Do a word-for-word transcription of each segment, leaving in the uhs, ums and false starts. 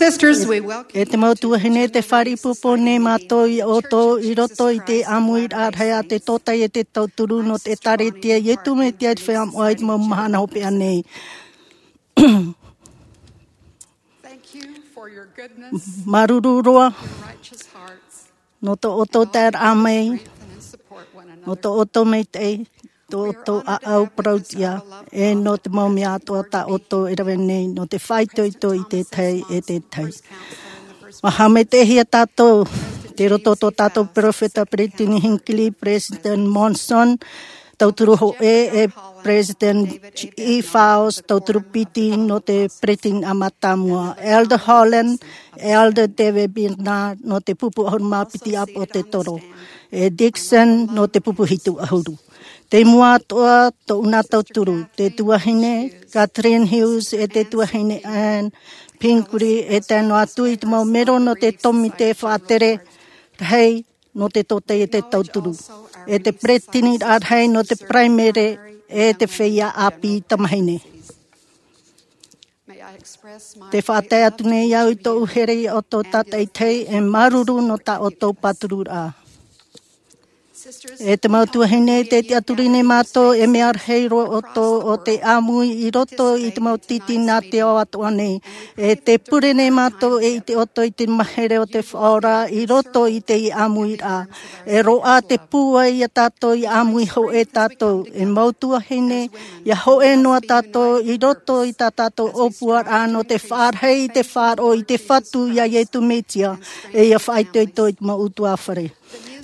Sisters, we welcome E te mau tuahine, te fāriʻi ʻāpōpō nei mātou iā ʻoutou i roto i te ʻāmuiraʻa rahi a te tōtaiete tauturu nō te ʻĒkālesia a Iesu Mesia i te Feiā Moʻa i te mau mahana hopeʻa nei. Thank you for your goodness, Māuruuru roa your righteous hearts. Nō tō ʻoutou taeraʻa mai, nō tō ʻoutou maitaʻi, tō ʻoutou ʻāʻau parauʻtiʻa, e nō te mau mea atoʻa tā ʻoutou e rave nei, nō te faʻaitoito i te tahi e te tahi. ʻUa haʻamaitaʻihia tātou, tei roto tō tātou peropheta, Peresideni Hinckley, Peresideni Monson, tauturu hōʻē, e Peresideni G E Faust, tauturu piti nō te Peresideni mātāmua, Elder Holland, Elder David Bednar, nō te pupu ʻahuru mā piti ʻāpōsetolo, e Dixon, nō te pupu hitu ʻahuru. Tei mua atoʻa tō ʻuna tauturu, te tuahine Kathleen Hughes, e te tuahine Anne Pingree, e tae noa atu i te mau melo nō te tōmite faʻatere rahi nō te tōtaiete tauturu, e te peresideni rahi nō te paraimere, e te feiā ʻāpī tamāhine. Te faʻatae atu nei au i tōʻu here iā ʻoutou tātaʻitahi, e māuruuru nō tā ʻoutou pātururaʻa. E te mau tuahine, tē tiʻaturi nei mātou, e mea rahi roa ʻoutou ʻo tē ʻāmui i roto i te mau tītīnā te ao atoʻa nei. E tē pure nei mātou, e ʻite ʻoutou i te mahere o te Faʻaora i roto i teie ʻāmuiraʻa. E roaʻa te pūai iā tātou ʻia ʻāmui hōʻē tātou. E mau tuahine, ʻia hōʻē noa tātou i roto i tā tātou ʻōpuaraʻa nō te faʻarahi i te faʻaroʻo i te Fatu iā Iesu Mesia, e ʻia faʻaitoito i te mau ʻutuāfare.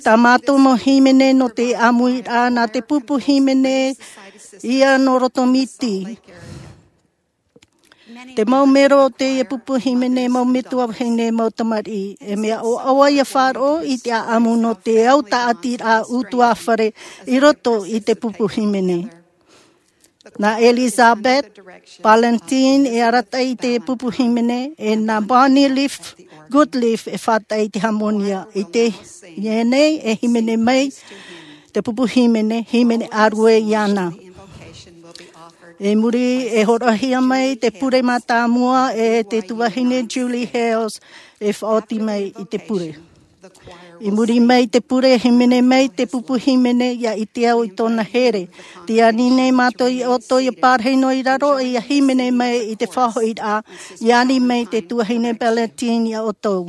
Tā mātou mau hīmene nō te ʻāmuiraʻa, nā te pupu hīmene ia nō Roto Miti. Te mau melo o teie pupu hīmene, mau metua vahine, mau tamariʻi, e mea ʻoaʻoa ʻia faʻaroʻo i te ʻāʻamu nō te au tāʻatiraʻa ʻutuāfare i roto i te pupu hīmene. Nā Elizabeth Ballantyne e arataʻi i te pupu hīmene, e nā Bonnie Leaf Goodleaf e faʻataʻi i te hāmōnia. I teie nei e hīmene mai te pupu hīmene, hīmene ʻārue iāna. I muri, e hōroʻahia mai te pure mātāmua e te tuahine Julie Hales e faʻaoti mai i te pure. I muri mai te pure, hīmene mai te pupu hīmene, ʻia ʻite au i tōna here. Tē ani nei mātou iā ʻoutou ʻia pārahi noa i raro, ʻia hīmene mai i te faʻahoʻiraʻa, ʻia ani mai te tuahine Ballantyne iā ʻoutou.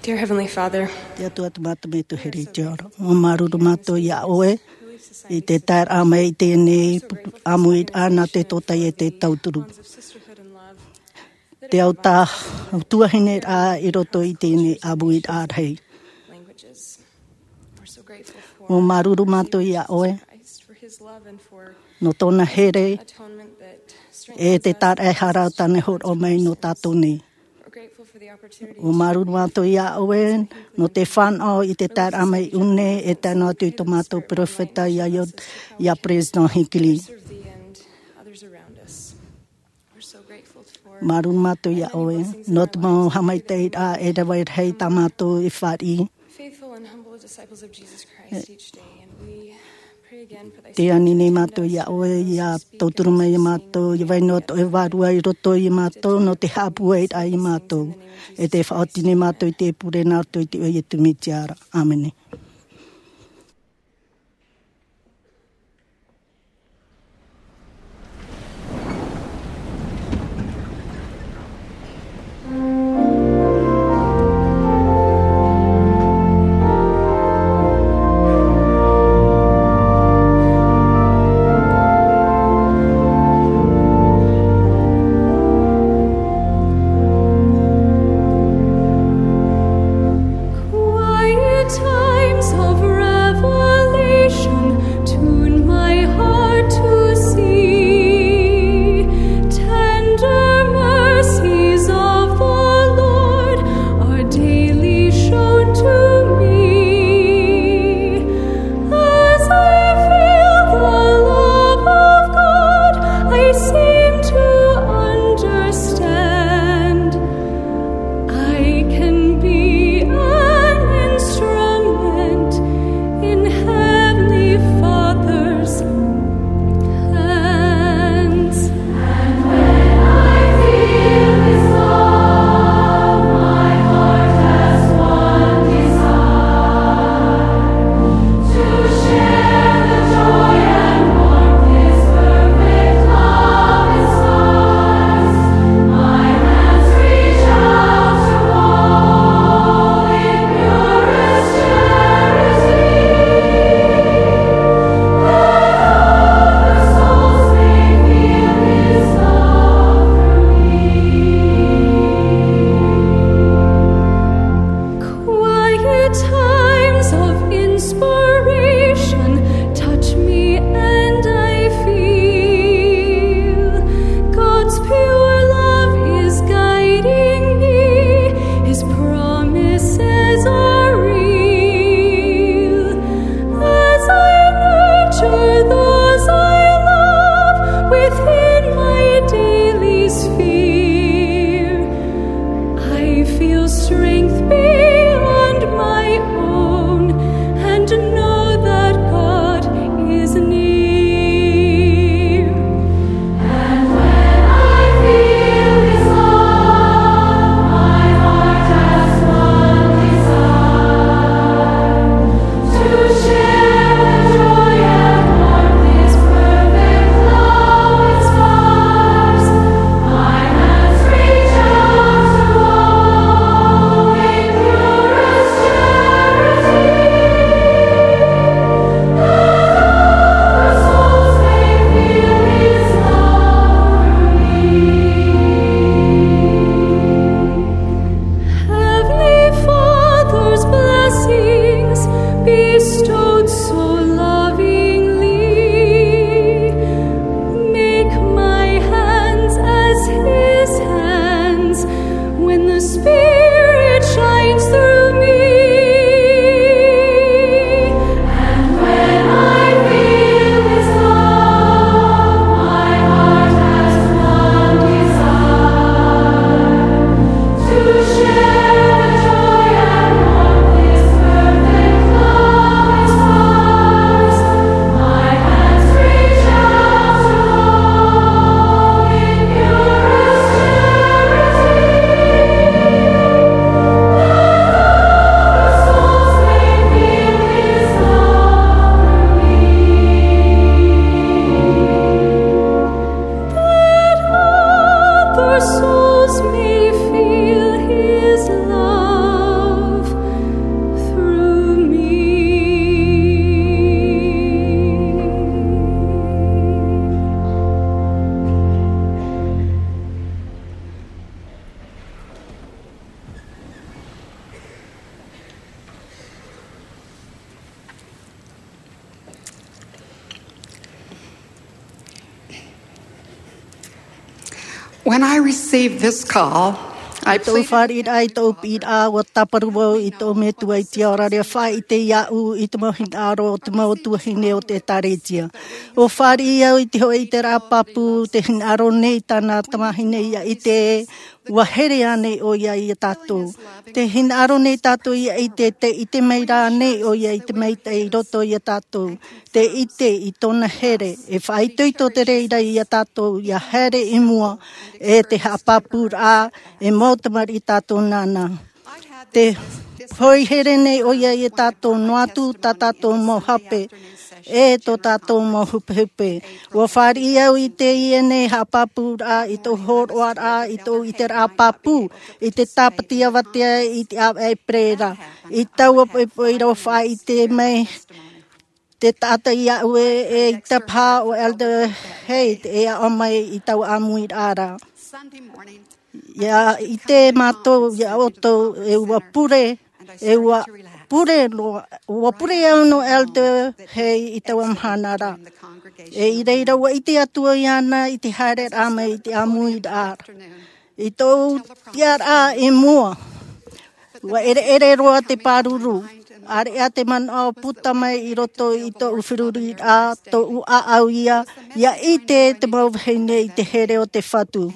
Dear Heavenly Father, Te Atua, te Mātou Metua here i te ao ra. ʻUa māuruuru mātou iā ʻoe i te taeraʻa mai i teie nei ʻāmuiraʻa nā te tōtaiete tauturu. Te autahuʻa tuahine rā i roto i teie nei ʻāmuiraʻa rahi. ʻUa māuruuru mātou iā ʻoe nō tōna here e te taraehara o tāna hōroʻa mai nō tātou nei. ʻUa māuruuru mātou iā ʻoe nō te fānaʻo i te taeraʻa mai i ʻō nei e tae noa atu i tō mātou peropheta iā Io-, iā President Hinckley. Māuruuru mātou iā ʻoe nō te mau haʻamaitaʻiraʻa e rave rahi tā mātou e fāriʻi. Tē ani nei mātou iā ʻoe, ʻia tauturu mai iā mātou, ʻia vai noa atoʻa e vārua i roto iā mātou, nō te haʻapūairaʻa iā mātou. E tē faʻaoti nei mātou i te pure nā roto i te iʻoa o Iesu Mesia ra. ʻĀmene. Quiet time When I received this call, I tōʻu fāriʻiraʻa, i tōʻu piʻiraʻa, ua tāparu vau i tōʻu Metua i te ao ra, ʻia faʻaʻite iāʻu i te mau hinaʻaro o te mau tuahine o te ʻĒtārētia. Ua fāriʻi au i te hōʻē ʻiteraʻa pāpū, te hinaʻaro nei tāna tamahine ʻia ʻite ē, ua here ānei ʻoia iā tātou. Te hinaʻaro nei tātou ʻia ʻite, tē ʻite mai ra ānei ʻoia i te maitaʻi i roto iā tātou. Tē ʻite i tōna here, e faʻaitoito te reira iā tātou ʻia haere i mua, e te haʻapāpūraʻa, e mau tamariʻi tātou nāna. Tē pohe here nei ʻoia iā tātou noa atu tā tātou mau hape, e tō tātou mau hupehupe. Ua fāriʻi au i teie nei haʻapāpūraʻa, i tōʻu hōroʻaraʻa, i tōʻu ʻiteraʻa pāpū, i te tāpati avatea, i te ʻāvaʻe pererā. I taua poʻipoʻi ra ua faʻaʻite mai te taʻata iāʻu ē, e ʻaita paha ʻo Elder Haight e aʻo mai i taua ʻāmuiraʻa ra. ʻIa ʻite mātou iā ʻoutou, e ua pure, e ua pure noa, ua pure au nō Elder Haight i taua mahana ra. E i reira ua ʻite atu au iāna i te haereraʻa mai i te ʻāmuiraʻa ra. I tōʻu tiʻaraʻa i mua, ua ʻereʻere roa te pāruru. ʻAreʻa te manaʻo puta mai i roto i tōʻu feruriraʻa, tōʻu ʻāʻau ia, ʻia ʻite te mau vahine i te here o te Fatu.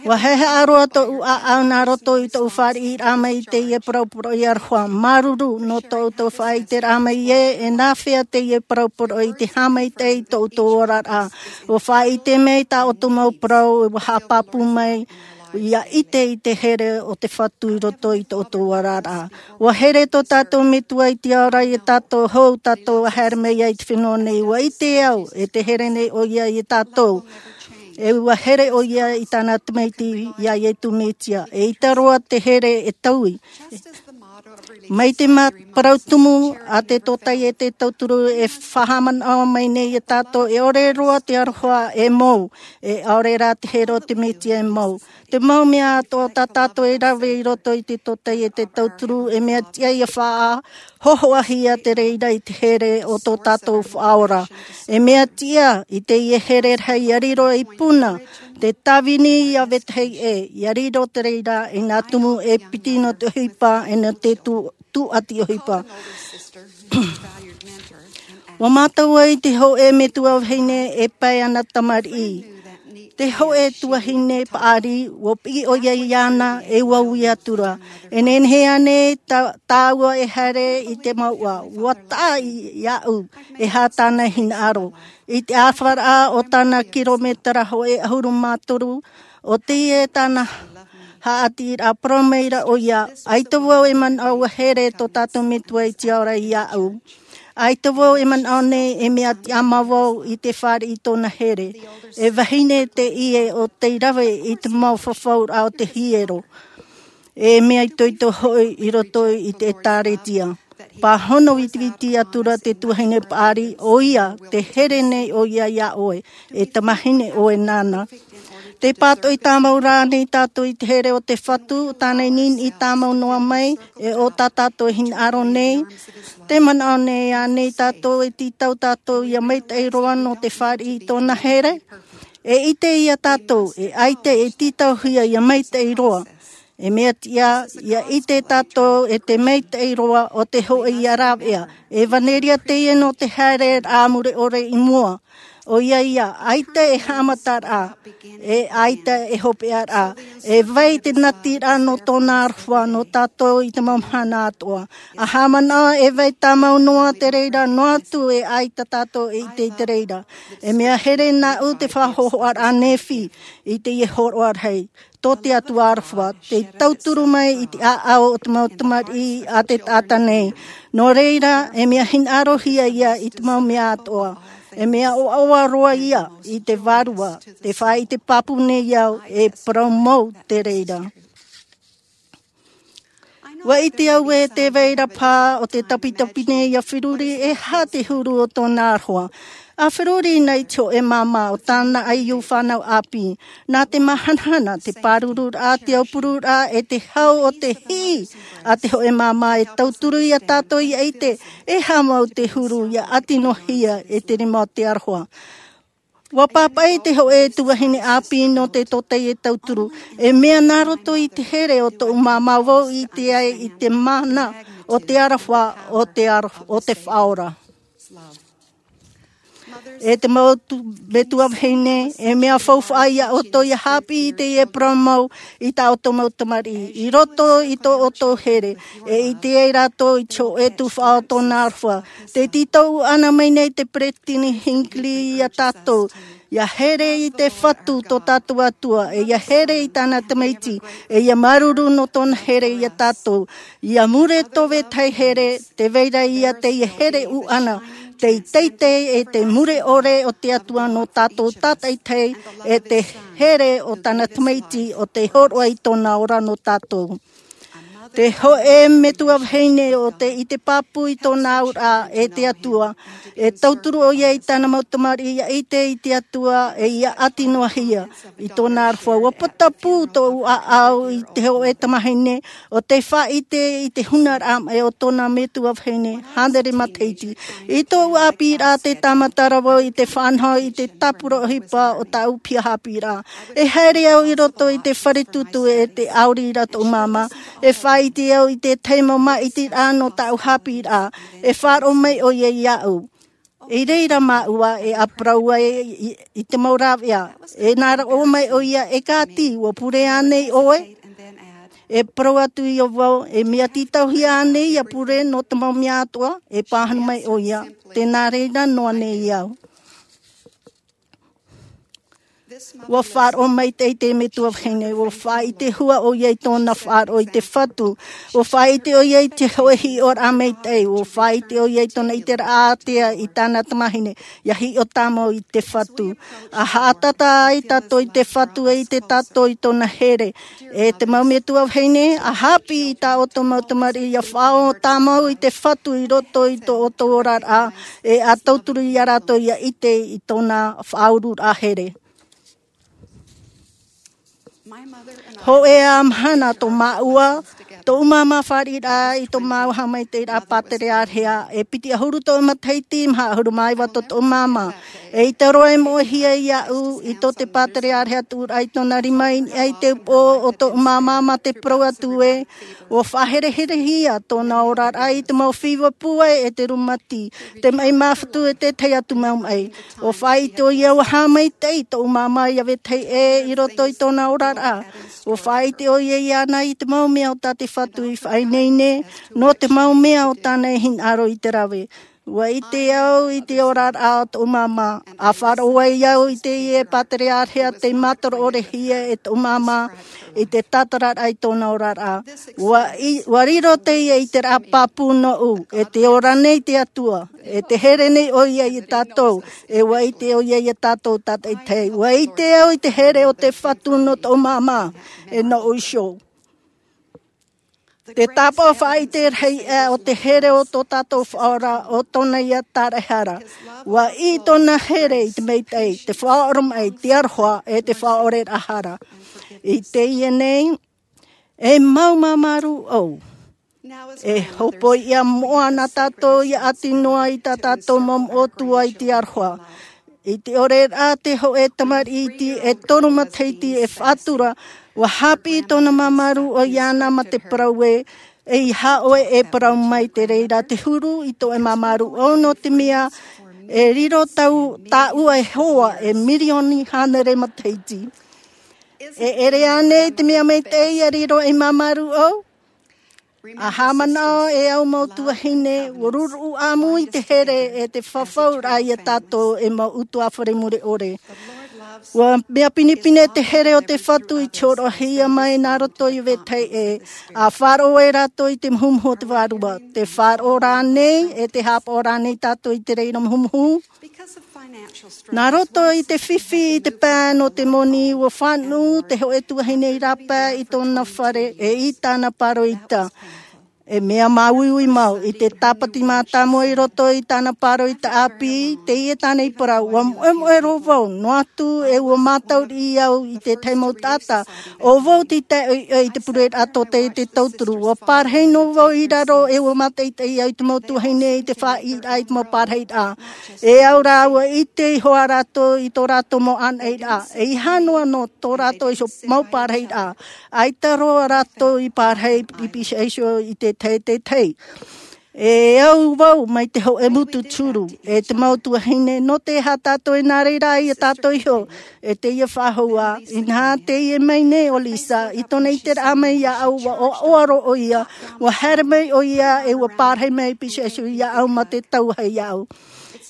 Ua haʻehaʻa roa tōʻu ʻāʻau nā roto i tōʻu fāriʻiraʻa mai i teie parau poroʻi aroha māuruuru nō tō ʻoutou faʻaʻiteraʻa mai ē, e nāfea teie parau poroʻi i te haʻamaitaʻi i tō ʻoutou oraraʻa. Ua faʻaʻite mai tā ʻoutou mau parau, ua haʻapāpū mai, ʻia ʻite i te here o te Fatu i roto i tō ʻoutou oraraʻa. Ua here tō tātou Metua i te ao ra iā tātou hou tātou e haere mai ai i te fenua nei. Ua ʻite au, e tē here nei ʻoia iā tātou. E ua here ʻoia i tāna Tamaiti, iā Iesu Mesia. E ʻaita roa te here e taui. Mai te ma-, parau tumu a te tōtaiete tauturu e faʻahaʻamanaʻo mai nei iā tātou, e ʻore roa te aroha e mou, e ʻaore rā te here o te Mesia e mou. Te mau mea atoʻa tā tātou e rave i roto i te tōtaiete tauturu, e mea tiʻa ʻia faʻahōhoʻahia te reira i te here o tō tātou Faʻaora. E mea tiʻa i teie here rahi ʻia riro ei puna, te tāvini ʻia vetahi ʻē, ʻia riro te reira i nā tumu e piti nō te ʻohipa, e nō te tū-, tūʻati ʻohipa. Ua mātau ai te hōʻē metua vahine e pae ana tamariʻi. Te hōʻē tuahine paʻari, ua piʻi ʻoia iāna, e ua ui atu ra. E nehenehe ānei tā-, tāua e haere i te mouʻa? Ua taʻa i-, iāʻu, e aha tāna hinaʻaro. I te ʻāfaraʻa o tāna kirometera hōʻē ʻahuru mā toru, ʻo teie tāna haʻaʻiteraʻa, parau maira ʻoia, ʻaita vau e manaʻo ʻua here tō tātou Metua i te ao ra iāʻu. ʻAita vau e manaʻo nei e mea tiʻamā vau i te fāriʻi i tōna here. E vahine teie ʻo tei rave i te mau fafauraʻa o te hiero. E mea itoito hoʻi i roto i te ʻĒtārētia. Pāhono vitiviti atu ra te tuahine paʻari, ʻoia, tē here nei ʻoia iā ʻoe, e tamahine ʻoe nāna. Tē pātoʻi tāmau ra ānei tātou i te here o te Fatu, tāna i niniʻi tāmau noa mai, e ʻo tā tātou hinaʻaro nei? Tē manaʻo nei ānei tātou e tītau tātou ʻia maitaʻi roa nō te fāriʻi i tōna here? E ʻite ia tātou, e ʻaita e tītauhia ʻia maitaʻi roa. E mea tiʻa, ʻia ʻite tātou e te maitaʻi roa o te hōʻē ʻia rāveʻa. E ʻevaneria teie nō te haereraʻa mure ʻore i mua. ʻOia ia, ʻaita e haʻamataraʻa, e ʻaita e hopeʻaraʻa. E vai te natiraʻa nō tōna aroha nō tātou i te mau mahana atoʻa. ʻA haʻamanaʻo e vai tāmau noa te reira, noa atu e ʻaita tātou e ʻite i te reira. E mea here nāʻu te faʻahōhoʻaraʻa Nephi i teie hōroʻa rahi tō te Atua aroha, tei tauturu mai i te ʻāʻau o te mau tamariʻi a te taʻata nei. Nō reira, e mea hinaʻarohia ia i te mau mea atoʻa. E mea ʻoaʻoa roa ia i te Vārua, tē faʻaʻite pāpū nei au, e parau mau te reira. ʻUa ʻite au ē tē vai ra paha ʻo te tapitapi nei ʻia feruri, e aha te huru o tōna aroha. ʻA feruri na i te hōʻē māmā ʻo tāna ʻaiū fānau ʻāpī. Nā te māhanahana, te pārururaʻa, te aupururaʻa, e te hau o te hiʻi a te hōʻē māmā e tauturu ia tātou ʻia ʻite, e aha mau te huru ʻia ʻati noa hia e te rima o te aroha. Ua pāpaʻi te hōʻē tuahine ʻāpī nō te tōtaiete tauturu. E mea nā roto i te here o tōʻu māmā vau i ʻite ai i te mana o te aroha o te aro o te faʻaora. E te mau tu- metua vahine, e mea faufaʻa ia ʻoutou ia haʻapiʻi i teie parau mau i tā ʻoutou mau tamariʻi i roto i tō ʻoutou here. E ʻite ai rātou i te hōʻē tuhaʻa o tōna aroha. Te tītau ʻana mai nei te peresideni Hinckley ia tātou, ia here i te Fatu tō tātou Atua, e ia here i tāna tamaiti, e ia māuruuru nō tōna here ia tātou. Ia mure tō vetahi here, te vai ra ia teie here ʻuʻana, te teitei e te mure ʻore o te Atua nō tātou tātaitahi, e te here o tāna tamaiti o te hōroʻa i tōna ora nō tātou. Te hōʻē metua vahine o te ʻite pāpū i tōna auraʻa e te Atua, e tauturu ʻoia i tāna mau tamariʻi ia ʻite i te Atua e ia ʻati noa hia i tōna aroha. Ua patapū tōʻu ʻāʻau i te hōʻē tamahine o te faʻaʻite i te hunaraʻa maʻi o tōna metua vahine hānere matahiti. I tōʻu ʻāpīraʻa te tāmata ra vau i te faʻanaho i te tāpura ʻohipa o tāʻu piha ʻāpīraʻa. E haere au i roto i te fare tūtū e te ʻauri ra tōʻu māmā. E faʻaʻite au i te tahi mau māʻitiraʻa nō tāʻu ʻāpīraʻa. E faʻaroʻo mai ʻoia iāʻu. I reira māua e ʻāparau ai i, i te mau rāveʻa. E nā roʻo mai ʻoia, e kāti, ua pure ānei ʻoe? E parau atu ia vau, e mea tītauhia ānei ia pure nō te mau mea atoʻa? E pāhono mai ʻoia, tē nā reira noa nei au. Ua faʻaroʻo maitaʻi te metua vahine, ua faʻaʻite hua ʻoia i tōna faʻaroʻo i te Fatu. Ua faʻaʻite ʻoia i te hōʻē hiʻoraʻa maitaʻi, ua faʻaʻite ʻoia i tōna ʻiteraʻa ātea i tāna tamahine ia hiʻo tāmau i te Fatu. A haʻatata ai tātou i te Fatu e ʻite tātou i tōna here. E te mau metua vahine, a haʻapiʻi i tā ʻoutou mau tamariʻi ia faʻaō tāmau i te Fatu i roto i tō ʻoutou oraraʻa, e a tauturu ia rātou ia ʻite i tōna faʻaururaʻa here. Hōʻē ā mahana tō māua, tōʻu māmā fāriʻiraʻa i tō māua haʻamaitaʻiraʻa pāterearehea, e piti ʻahuru tōʻu matahiti maha ʻahuru mā iva tō tōʻu māmā. E ʻite roa e moʻehia iāʻu i tō te pāterearehea tuʻuraʻa i tōna rima i niʻa i te upoʻo o tōʻu māmā mā te parau atu ē, ua faʻahereherehia tōna oraraʻa i te mau fiva pūai e te rūmati, te maʻi māfatu e te tahi atu mau maʻi. Ua faʻaʻite ʻoia ua haʻamaitaʻi tōʻu māmā ia vetahi ʻē i roto i tōna oraraʻa. Ua faʻaʻite ʻoia iāna i te mau mea o tā te Fatu i faʻaineine, nō te mau mea o tāna e hinaʻaro i te rave. Ua ʻite au i te oraraʻa o tōʻu māmā, a faʻaroʻo ai au i teie pāterearehea tei mātaro ʻore hia e tōʻu māmā i te tātararaʻa i tōna oraraʻa. Ua i, ua riro teie ʻiteraʻa pāpū nōʻu, e tē ora nei te Atua, e tē here nei ʻoia ia tātou, e ua ʻite ʻoia ia tātou tātaitahi. Ua ʻite au i te here o te Fatu nō tōʻu māmā, e nōʻu iho. Te tāpaʻo faʻaʻite rahi aʻe o te here o tō tātou Faʻaora, ʻo tōna ia tāraʻehara. Ua ʻī tōna here i te maitaʻi, te faʻaoromaʻi, te aroha, e te faʻaoreraʻa hara. I teie nei, e mau māmārū ʻou. E hōpoiʻa moʻa na tātou ia ʻati noa i tā tātou mau moʻotua i te aroha. I te ʻoreraʻa te hōʻē tamariʻi iti e toru matahiti e faʻatura, ua haʻapiʻi tōna māmārū ʻou iāna mā te parau ē, ʻeiaha ʻoe e parau mai, te reira te huru i tō ʻoe māmārū ʻou, nō te mea e riro tāu, tāua e hoa e mirioni hānere matahiti. E ʻere ānei te mea maitaʻi ia riro ei māmārū ʻou? A haʻamanaʻo e au mau tuahine, ua ruruʻu ʻāmui te here e te fafauraʻa ia tātou e mau ʻutuāfare mure ʻore. Ua mea pinepine te here o te Fatu i te hōroʻahia mai nā roto i vetahi ʻē, a faʻaroʻo ai rātou i te muhumuhu o te Vārua. Te faʻaroʻo rānei, e te haʻapaʻo rānei tātou i te reira muhumuhu? Nā roto i te fifi i te pae nō te moni, ua fānuʻu te hōʻē tuahine i rāpae i tōna fare, e i tāna pāroita. E mea māuiui mau i te tāpati mātāmua i roto i tāna pāroita ʻāpī. Teie tāna i parau, ua moʻemoʻe roa vau noa atu e ua mātaʻu riʻi au i te tahi mau taʻata. ʻO vau te taʻeʻoiʻoi i te pureraʻa tōtaiete tauturu. Ua parahi noa vau i raro e ua mātaʻitaʻi au i te mau tuahine i te faʻaʻiteraʻa i te mau parahiraʻa. E au rā ua ʻite iho ā rātou i tō rātou mau ʻānaʻiraʻa, e ʻeiaha noa nō tō rātou iho mau parahiraʻa. ʻAita roa rātou i parahi i pīhaʻi iho i te tahi e te tahi. E au vau mai te hōʻē mūtu turu e te mau tuahine, nō te aha tātou e nā reira ia tātou iho e teie faʻahou ā? Inaha teie mai nei ʻo Lisa i tōna ʻiteraʻa mai iāʻu, ua ʻoaʻoa roa ʻoia, ua haere mai ʻoia e ua parahi mai i pīhaʻi iho iāʻu ma te tauahi iāʻu.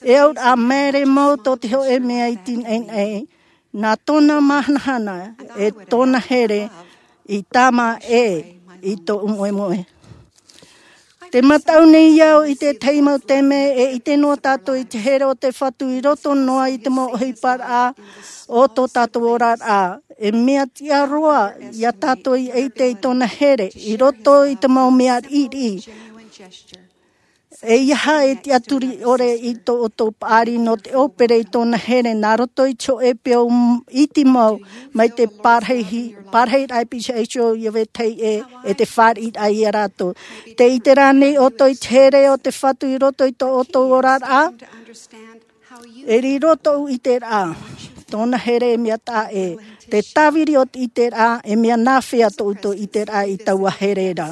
E au rā, maere mau tō te hōʻē mea i te naʻinaʻi nā tōna māhanahana e tōna here i tāmā ʻē i tōʻu moemoe. Te mātaʻu nei au i te tahi mau taime e ʻite noa tātou i te here o te Fatu i roto noa i te mau ʻohiparaʻa o tō tātou oraraʻa. E mea tiʻa roa iā tātou i ʻite i tōna here i roto i te mau mea riʻiriʻi. ʻEiaha e tiʻaturi ʻore i tō ʻoutou paʻari nō te ʻōpere i tōna here nā roto i te hōʻē peu iti mau mai te parahiraʻa i pīhaʻi iho ia vetahi ʻē e te fāriʻiraʻa iā rātou. Te ʻite rā nei ʻoutou i te here o te Fatu i roto i tō ʻoutou oraraʻa? E riro tōʻu ʻiteraʻa tōna here e mea taʻa ʻē. Te tāviri o te ʻiteraʻa, e mea nāfea tō ʻoutou ʻiteraʻa i taua here ra?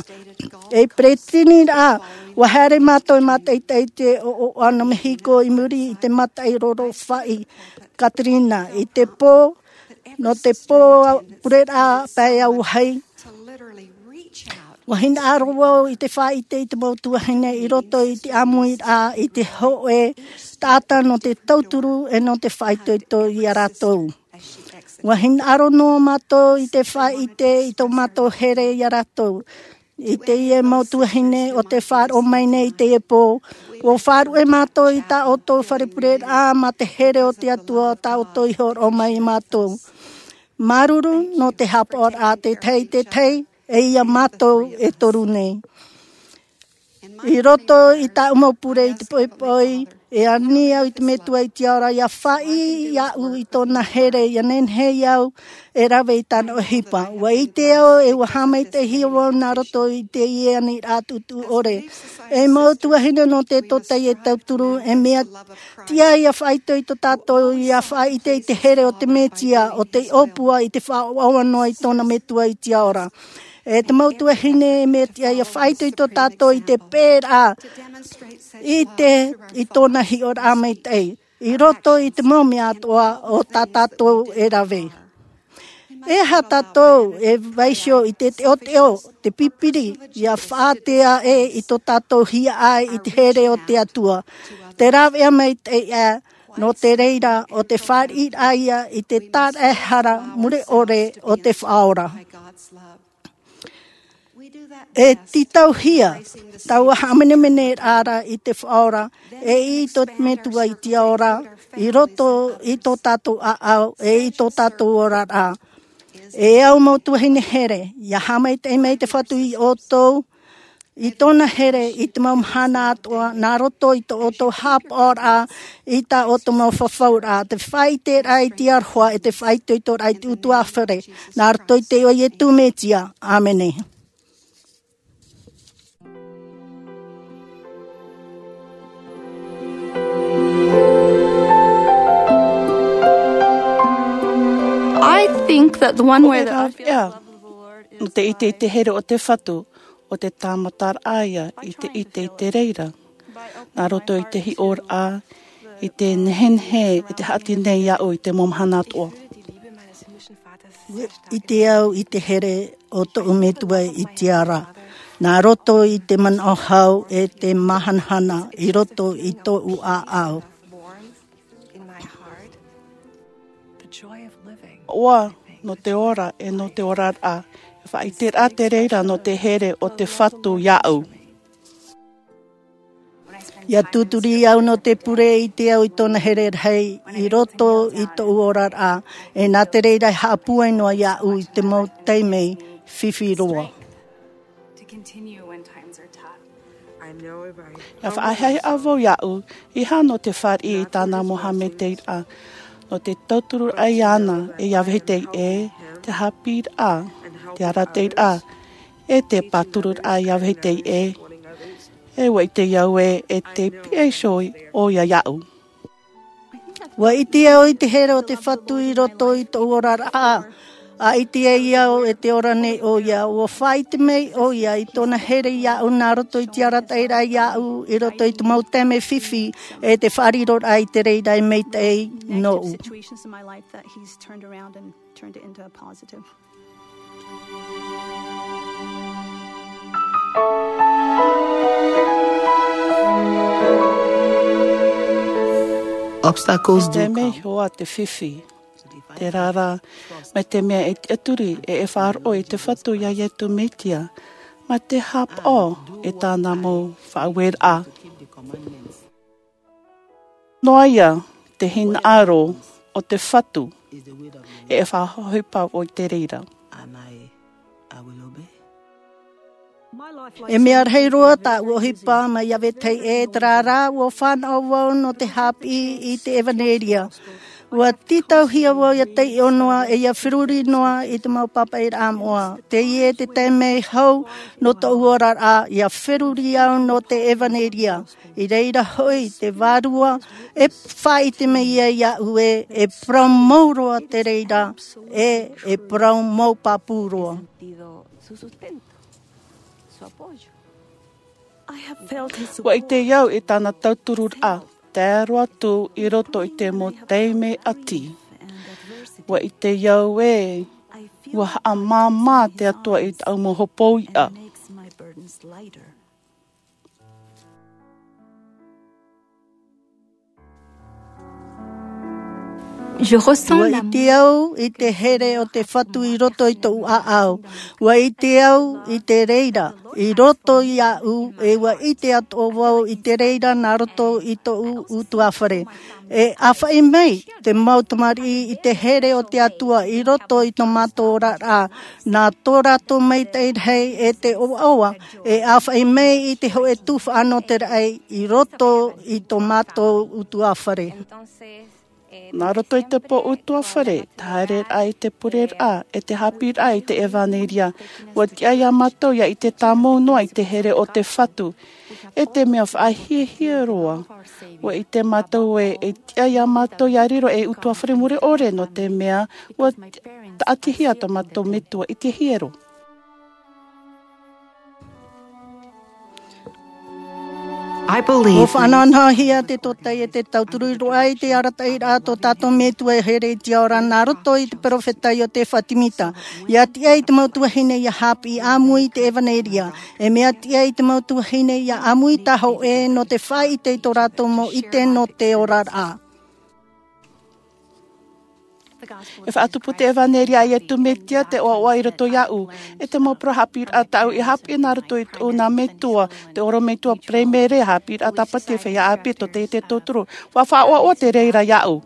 Ei peresideni rā, ua haere mātou e mātaʻitaʻi i te ʻoaʻoa nō Mehiko i muri i te mataʻi rorofaʻi Katrina i te pō, nō te pō pureraʻa pae auahi. Ua hinaʻaro vau i te faʻaʻite i te mau tuahine i roto i te ʻāmuiraʻa i te hōʻē taʻata nō te tauturu e nō te faʻaitoito iā rātou. Ua hinaʻaro noa mātou i te faʻaʻite i tō mātou here iā rātou. I teie mau tuahine o te faʻaroʻo mai nei i teie pō, ua faʻaruʻe mātou i tā ʻoutou fare pureraʻa ma te here o te Atua o tā ʻoutou i hōroʻa mai iā mātou. Māuruuru nō te haʻapaʻoraʻa te tahi i te tahi, e ia mātou e toru nei. I roto i tāʻu mau pure i te poʻipoʻi, e ani au i te Metua i te Ao ra ia faʻaʻī iāʻu i tōna here, ia nehenehe au e rave i tāna ʻohipa. Ua ʻite au e ua haʻamaitaʻihia vau nā roto i teie aniraʻa tuʻutuʻu ʻore. E mau tuahine nō te tōtaiete tauturu, e mea tiʻa ia faʻaitoito tātou ia faʻaʻite i te here o te Mesia, ʻo tei ʻōpua i te faʻaʻoaʻoa noa i tōna Metua i te Ao ra. E te mau tuahine, e mea tiʻa ia faʻaitoito tātou i te pēraʻa i te, i tōna hiʻoraʻa maitaʻi i roto i te mau mea atoʻa o tā tātou e rave. E aha tātou e vaiiho i te teʻoteʻo, te pipiri, ia faʻatea ʻē i tō tātou hiaʻai i te here o te Atua, te rāveʻa maitaʻi ʻā, nō te reira ʻo te fāriʻiraʻa ia i te tāraʻehara mure ʻore o te Faʻaora. E tītauhia taua haʻamenemeneraʻa i te Faʻaora, e i tō te Metua i te Ao ra, i roto i tō tātou ʻāʻau, e i tō tātou oraraʻa. E au mau tuahine here, ia haʻamaitaʻi mai te Fatu iā ʻoutou i tōna here i te mau mahana atoʻa, nā roto i tō ʻoutou haʻapaʻoraʻa i tā ʻoutou mau fafauraʻa, te faʻaʻiteraʻa i te aroha, e te faʻaitoitoraʻa i te ʻutuāfare, nā roto i te iʻoa o Iesu Mesia. ʻĀmene. I think that the one way that I feel, yeah, nō te ʻite i te here o te Fatu, ʻo te tāmataraʻa ia i te ʻite i te reira, nā roto i te hiʻoraʻa, i te nehenehe, i te haʻati nei iāʻu i te mau mahana atoʻa. ʻIte au i te here o tōʻu Metua i te Ao ra, nā roto i te manaʻo hau e te māhanahana i roto i tōʻu ʻāʻau. ʻOa nō te ora, e nō te oraraʻa, e faʻaʻiteraʻa te reira nō te here o te Fatu iāʻu. Ia tūturi au nō te pure, ʻite au i tōna here rahi i roto i tōʻu oraraʻa, e nā te reira e haʻapūai noa iāʻu i te mau taime fifi roa. Ia faʻahiahia vau iāʻu, e aha nō te fāriʻi i tāna mau haʻamaitaʻiraʻa, nō te tautururaʻa iāna, e ia vahine ē, te haʻapiʻiraʻa, te arataʻiraʻa, e te pātururaʻa ia vahine ē, e ʻua ʻite au ē, e te piʻi iho ʻoia iāʻu. ʻUa ʻite au i te here o te Fatu i roto i tōʻu oraraʻa. ʻA ʻite ai au e te ora nei ʻoia. ʻUa faʻaʻite mai ʻoia i tōna here iāʻu nā roto i te arataʻiraʻa iāʻu, i roto i te mau taime fifi, e te faʻariroraʻa i te reira e maitaʻi nōʻu. Turned it into a positive. Obstacles do come. Te mea iho ā te fifi, te rārā, mai te mea e tiʻaturi e e faʻaroʻo i te Fatu iā Iesu Mesia, mai te haʻapaʻo i tāna mau faʻaueraʻa. Noa ia te hinaʻaro o te Fatu, e e faʻaʻohipa vau i te reira. E mea rahi roa tāʻu ʻohipa mai iā vetahi ē, terā rā, ʻua fānaʻo vau nō te haʻapiʻi i te ʻevaneria. ʻUa tītauhia vau ʻia taiʻo noa, e ʻia feruri noa i te mau pāpaʻiraʻa moʻa. Teie te taime hau nō tōʻu oraraʻa, ʻia feruri au nō te ʻevaneria. I reira hoʻi te Vārua, e faʻaʻite mai ia iāʻu ē, e parau mau roa te reira, e, e parau mau pāpū roa. ʻUa ʻite au i tāna tautururaʻa, tae roa atu i roto i te mau taime ʻati. ʻUa ʻite au ē, ʻua haʻamāmā te Atua i tāʻu mau hopoiʻa. Je ressens ʻUa l'amour. ʻIte au i te here o te Fatu i roto i tōʻu ʻāʻau. ʻUa ʻite au i te reira i roto iāʻu, e ʻua ʻite atoʻa vau i te reira nā roto i tōʻu ʻutuāfare. E ʻāfaʻi mai te mau tamariʻi i te here o te Atua i roto i tō mātou oraraʻa, nā tō rātou maitaʻi rahi e te ʻoaʻoa, e ʻāfaʻi mai i te hōʻē tuhaʻa nō te raʻi i roto i tō mātou ʻutuāfare. Nā roto i te pō ʻutuāfare, te haereraʻa i te pureraʻa, e te haʻapiʻiraʻa i te ʻevaneria, ʻua tiʻa ia mātou ʻia ʻite tāmau noa i te here o te Fatu. E te mea faʻahiahia roa, ʻua ʻite mātou ē, e tiʻa ia mātou ʻia riro ei ʻutuāfare mure ʻore, nō te mea ʻua taʻatihia tō mātou metua i te hiero. I believe ʻUa faʻanahonahohia te tōtaiete tauturu i roaʻa i te arataʻiraʻa a tō tātou Metua e here i te ao ra nā roto i te perofeta Iotefa Semita. ʻIa tiʻa i te mau tuahine ʻia haʻapiʻi ʻāmui i te ʻevaneria. E mea tiʻa i te mau tuahine ʻia ʻāmui tāhōʻē nō te faʻaʻite i tō rātou mau ʻite nō te oraraʻa. E faʻatupu te ʻevaneria a Iesu Mesia te ʻoaʻoa i roto iāʻu. E te mau parau haʻapiʻiraʻa tāʻu i haʻapiʻi nā roto i tōʻu nā metua, te ʻorometua, paraimere, haʻapiʻiraʻa tāpati, feiā ʻāpī, tōtaiete tauturu. ʻUa faʻaʻoaʻoa te reira iāʻu.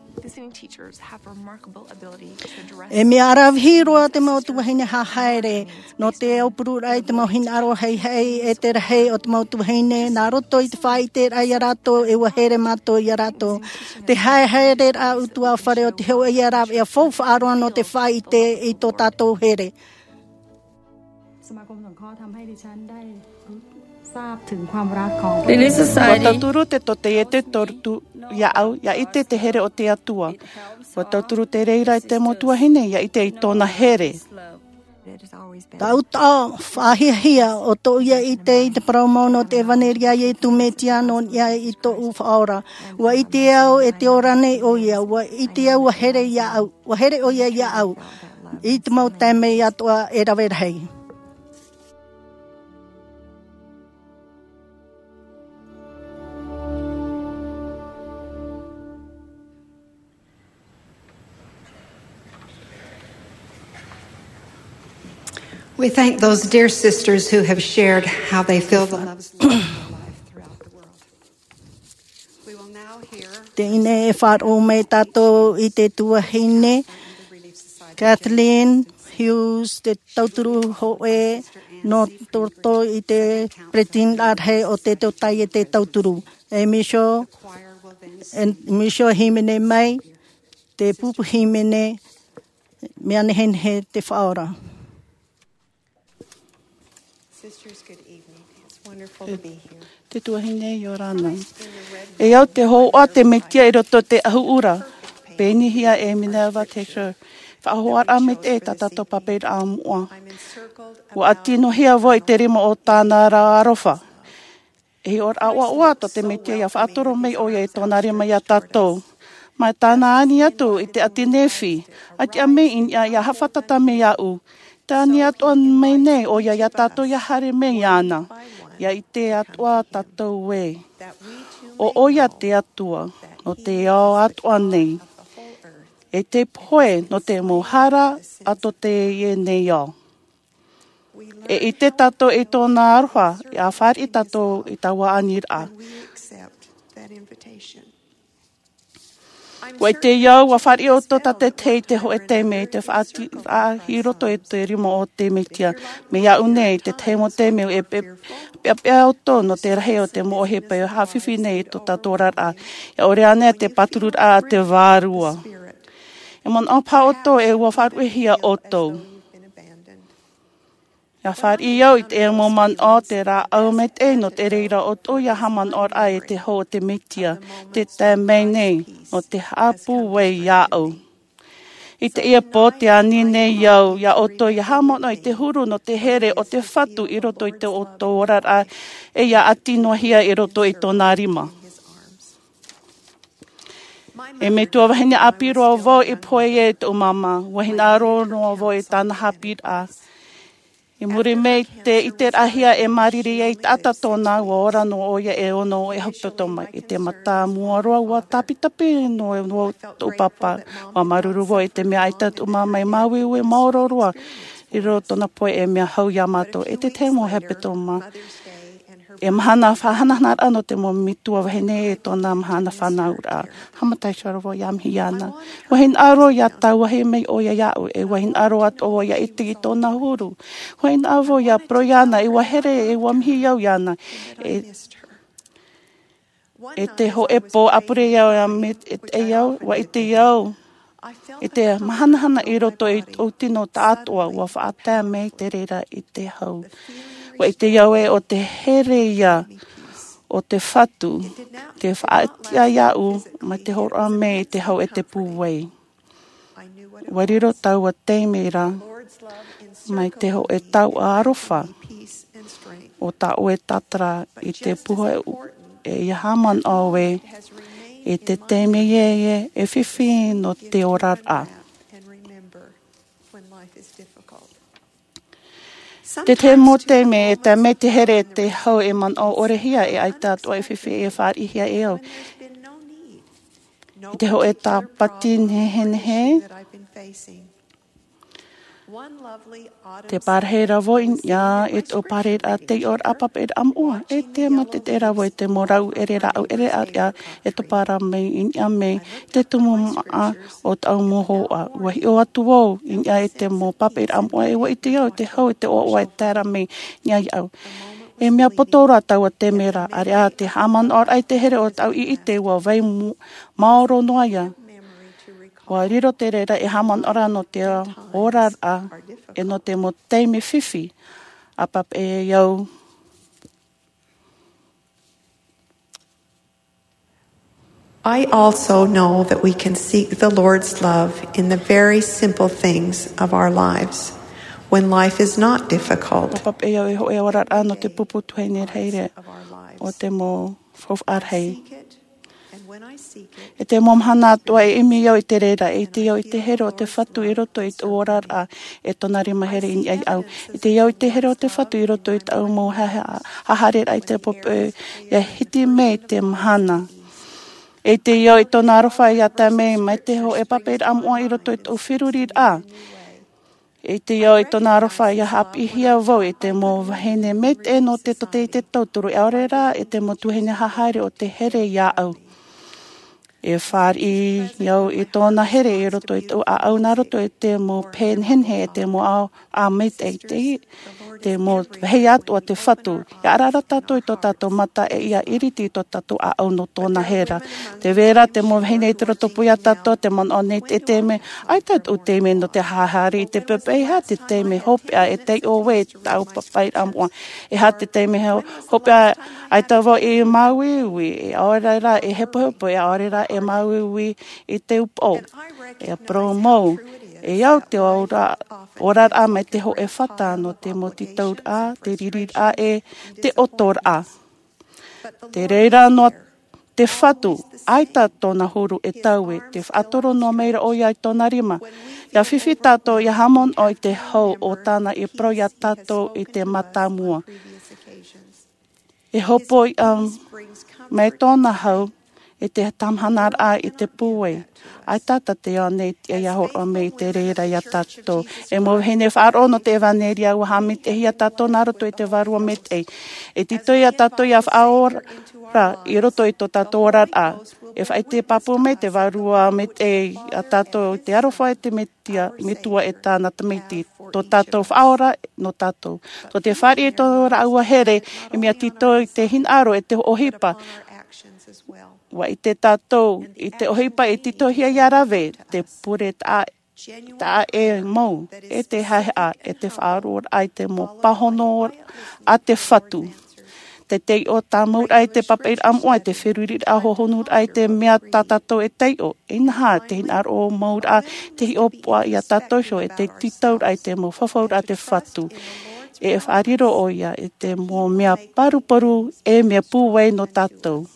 E mea ʻaravihi roa te mau tuahine haʻahaere nō te aupururaʻa i te mau hinaʻaro haʻehaʻe e te rahi o te mau tuahine, nā roto i te faʻaʻiteraʻa ia rātou, e ʻua here mātou ia rātou. Te haehaereraʻa ʻutuāfare o te hōʻē ia rāveʻa faufaʻa roa nō te faʻaʻite i tō tātou here. สมาคมสงเคราะห์ทำให้ดิฉันได้รู้ทราบถึงความรักของพระเจ้า Relief Society. ʻUa tauturu te tōtaiete tauturu iāʻu, ʻia ʻite te here o te Atua. ʻUa tauturu te reira i te mau tuahine, ʻia ʻite i tōna here. Taʻutaʻa faʻahiahia ʻo tōʻu ʻia ʻite i te parau mau nō te ʻevaneria a Iesu Mesia nō niʻa i tōʻu Faʻaora. ʻUa ʻite au e te ora nei ʻoia, ʻua ʻite au ʻua here iāʻu, ʻua here ʻoia iāʻu i te mau taime atoʻa e rave rahi. We thank those dear sisters who have shared how they feel the love is living in their life throughout the world. We will now hear Teie nei e faʻaroʻo mai tātou i te tuahine Kathleen Hughes, te tauturu hōʻē nō roto i te peretiteni rahi o te tōtai e te tauturu. E miso e miso hīmene mai te pupu hīmene. Mea nehenehe te faʻaora. Sisters, good evening. It's wonderful to be here. Te tuahine i ora ana. E au te hoʻa te metia i roto te ahuʻura. Pēnihia e Minerva Texter. Faʻahoʻaraʻa mai te tā tātou papairaʻa moʻa. Ua ʻati noa hia vau i te rima o tāna ra aroha. E hiʻoraʻa ʻoaʻoa tō te metia ia faʻatoro mai ʻoia i tōna rima ia tātou. Mai tāna ani atu i te ʻati nehenehe, ʻati ʻa mai i niʻa ia haʻafātata mai iaʻu. Te ani atoʻa mai nei ʻoia ia tātou ia haere mai iāna. Ia ʻite atoʻa tātou ē, ʻo ʻoia te Atua nō te ao atoʻa nei, e te pohe nō te mau hara a tō teie nei ao. E ʻite tātou i tōna aroha ia fāriʻi tātou i taua aniraʻa. Ua ʻite au ua fāriʻi ʻoutou tātaʻitahi i te hōʻē taime i te faʻaʻati i roto i te rima o te metia. Mai iaʻu nei te tahi mau taime e peʻapeʻa ʻoutou nō te rahi o te mau ʻohipa e haʻafifi nei i tō tātou oraraʻa. Ia ʻore ana te pātururaʻa a te vārua. E manaʻo paha ʻoutou e ua faʻaruʻehia ʻoutou. Ia fāriʻi au i te mau manaʻo te rāʻau maitaʻi nō te reira ʻoutou ia haʻamanaʻoraʻa i te hau o te metia. Te tae mai nei nō te haʻapūai iaʻu. I teie pō te ani nei au ia ʻoutou ia haʻamanaʻo i te huru nō te here o te Fatu i roto i tō ʻoutou oraraʻa, e ia ʻati noa hia i roto i tōna rima. E metua vahine ʻāpī roa vau i pohe ai i tōʻu māmā. Ua hinaʻaro noa vau i tāna haʻapiʻiraʻa. I muri mai te ʻiteraʻahia e māriri ai taʻata tōna, ua ora noa ʻoia e ono e hepetoma. I te mata mua roa ua tāpitapi noa tōʻu pāpā. Ua māuruuru vau i te mea ʻaita tōʻu māmā i māuiui maoro roa i roto tōna pohe e mea hau ia mātou. I te tahi mau hepetoma, e mahana faʻahanahanaraʻa nō te mau metua vahine i tōna mahana fānauraʻa. Haʻamata iho ra vau ia mihi iāna. Ua hinaʻaro ia tauahi mai ʻoia iaʻu, e ua hinaʻaro atoʻa vau ia ʻite i tōna huru. Ua hinaʻaro vau ia parau iāna, e ua here, e ua mihi au iāna. E, i te hōʻē pō ʻāpure au ia me, e, e au, ua ʻite au i te mahanahana i roto i tōʻu tino taʻatoʻa, ua faʻatae mai te reira i te hau. Ua ʻite au ē ʻo te here ia o te Fatu, te faʻaʻati iāʻu mai te hōroʻa mai i te hau e te pūai. Ua riro taua taime ra mai te hōʻē taoʻa aroha o tā ʻoe tātara i te puha e ia haʻamanaʻo ē, i te taime ē, e fifi nō te oraraʻa. Te tahi mau taime e tae mai te here e te hau e manaʻo ʻore hia e ʻaita atoʻa e fifi e fāriʻihia e au. I te hōʻē tāpati nehenehe, te parahi ra vau i niʻa i tōʻu parahiraʻa tei ʻō ra papaʻiraʻa moʻa, e te mate te ra vau i te mau rau ʻere rāʻau ʻere ʻāreʻa e topa ra mai i niʻa mai te tumu māʻa o tāʻu mau hōhoʻa. Ua hiʻo atu vau i niʻa i te mau papaʻiraʻa moʻa e ua ʻite au i te hau i te ʻoaʻoa e tae ra mai i niʻa iāʻu. E mea poto roa taua taime ra, ʻāreʻa te haʻamanaʻoraʻa i te here o tāʻu ʻiʻite ua vai mu-, maoro noa ia. Ua riro te reira e haʻamanaʻoraʻa nō te oraraʻa, e nō te mau taime fifi a papaʻi au. I also know that we can seek the Lord's love in the very simple things of our lives when life is not difficult. Ua papaʻi au e hōʻē oraraʻa nō te pupu tuahine rahi o te mau faufaʻa rahi. E te mau mahana atoʻa e ʻimi au i te reira, e ʻite au i te here o te Fatu i roto i tōʻu oraraʻa, e tōna rima here i niʻa iāʻu. E ʻite au i te here o te Fatu i roto i tāʻu mau ha-, ha-, haʻahaereraʻa i te pōpoʻi, ia hiti mai te mahana. E ʻite au i tōna aroha ia tae mai, mai te hōʻē papaʻiraʻa moʻa i roto i tōʻu feruriraʻa. E ʻite au i tōna aroha ia haʻapiʻihia vau i te mau vahine maitaʻi nō te tōtaiete tauturu, ʻaore rā i te mau tuahine haʻahaere o te here iāʻu. E fāriʻi au i tōna here i roto i tō ʻaʻau nā roto i te mau pēnehenehe e te mau ʻaʻau a mete i te mau vahi atu a te fatu. Ia arara tātou i tō tātou mata e ia iriti i tō tātou ʻaʻau nō tōna here. Te vera te mau vahine i te roto pū iā tātou te manaʻo nei te te me ai tātou te me nō te hahari i te pepe e ha te te me hopeʻa e te o we tāu papai ramoa. E ha te te me hopeʻa ai tāua i māuiui e aore rā e hepohepo e aore rā e māuiui i te upo e promo e au te ora oraraʻa mai te hoʻe fata nō te motitauraʻa te ririraʻa e te otoraʻa. Te reira noa te fatu aita tōna huru e taue te faʻatoro noa mai ra ʻo ia i tōna rima. Ia fifi tātou ia hamono i te hau o tāna i parau iā tātou i te matamua. E hopoiʻa mai tōna hau e te tamahanaraʻa i te pūai. Ai tātou te ao nei te ia horoʻa mai i te reira iā tātou e mau vahine faʻaroʻo nō te evanelia ua haʻamiteʻi iā tātou nā roto i te vārua mete. E tito iā tātou ia faʻaora i roto i tō tātou oraraʻa. E faʻaite pāpū mai te vārua mete iā tātou i te aroha e te metua e tāna tamaiti tō tātou faʻaora nō tātou. Tō te fāriʻi tō rāua here e mea tito i te hinaʻaro e te ʻohipa. Ua ʻite tātou i te ʻohipa e titohia iā rave te pure taʻa taʻa e mau e te haehaʻa e te faʻaroʻoraʻa i te mau pāhono a te fatu. Te teiʻo tāmauraʻa i te papairaʻa moʻa i te feruriraʻa hohonuraʻa i te mea tā tātou e teiʻo. Inaha te hinaʻaro mauraʻa te hiʻopoʻa iā tātou iho e te titauraʻa i te mau fafauraʻa te fatu. E faʻariro ʻo ia i te mau mea paruparu e mea pūai nō tātou.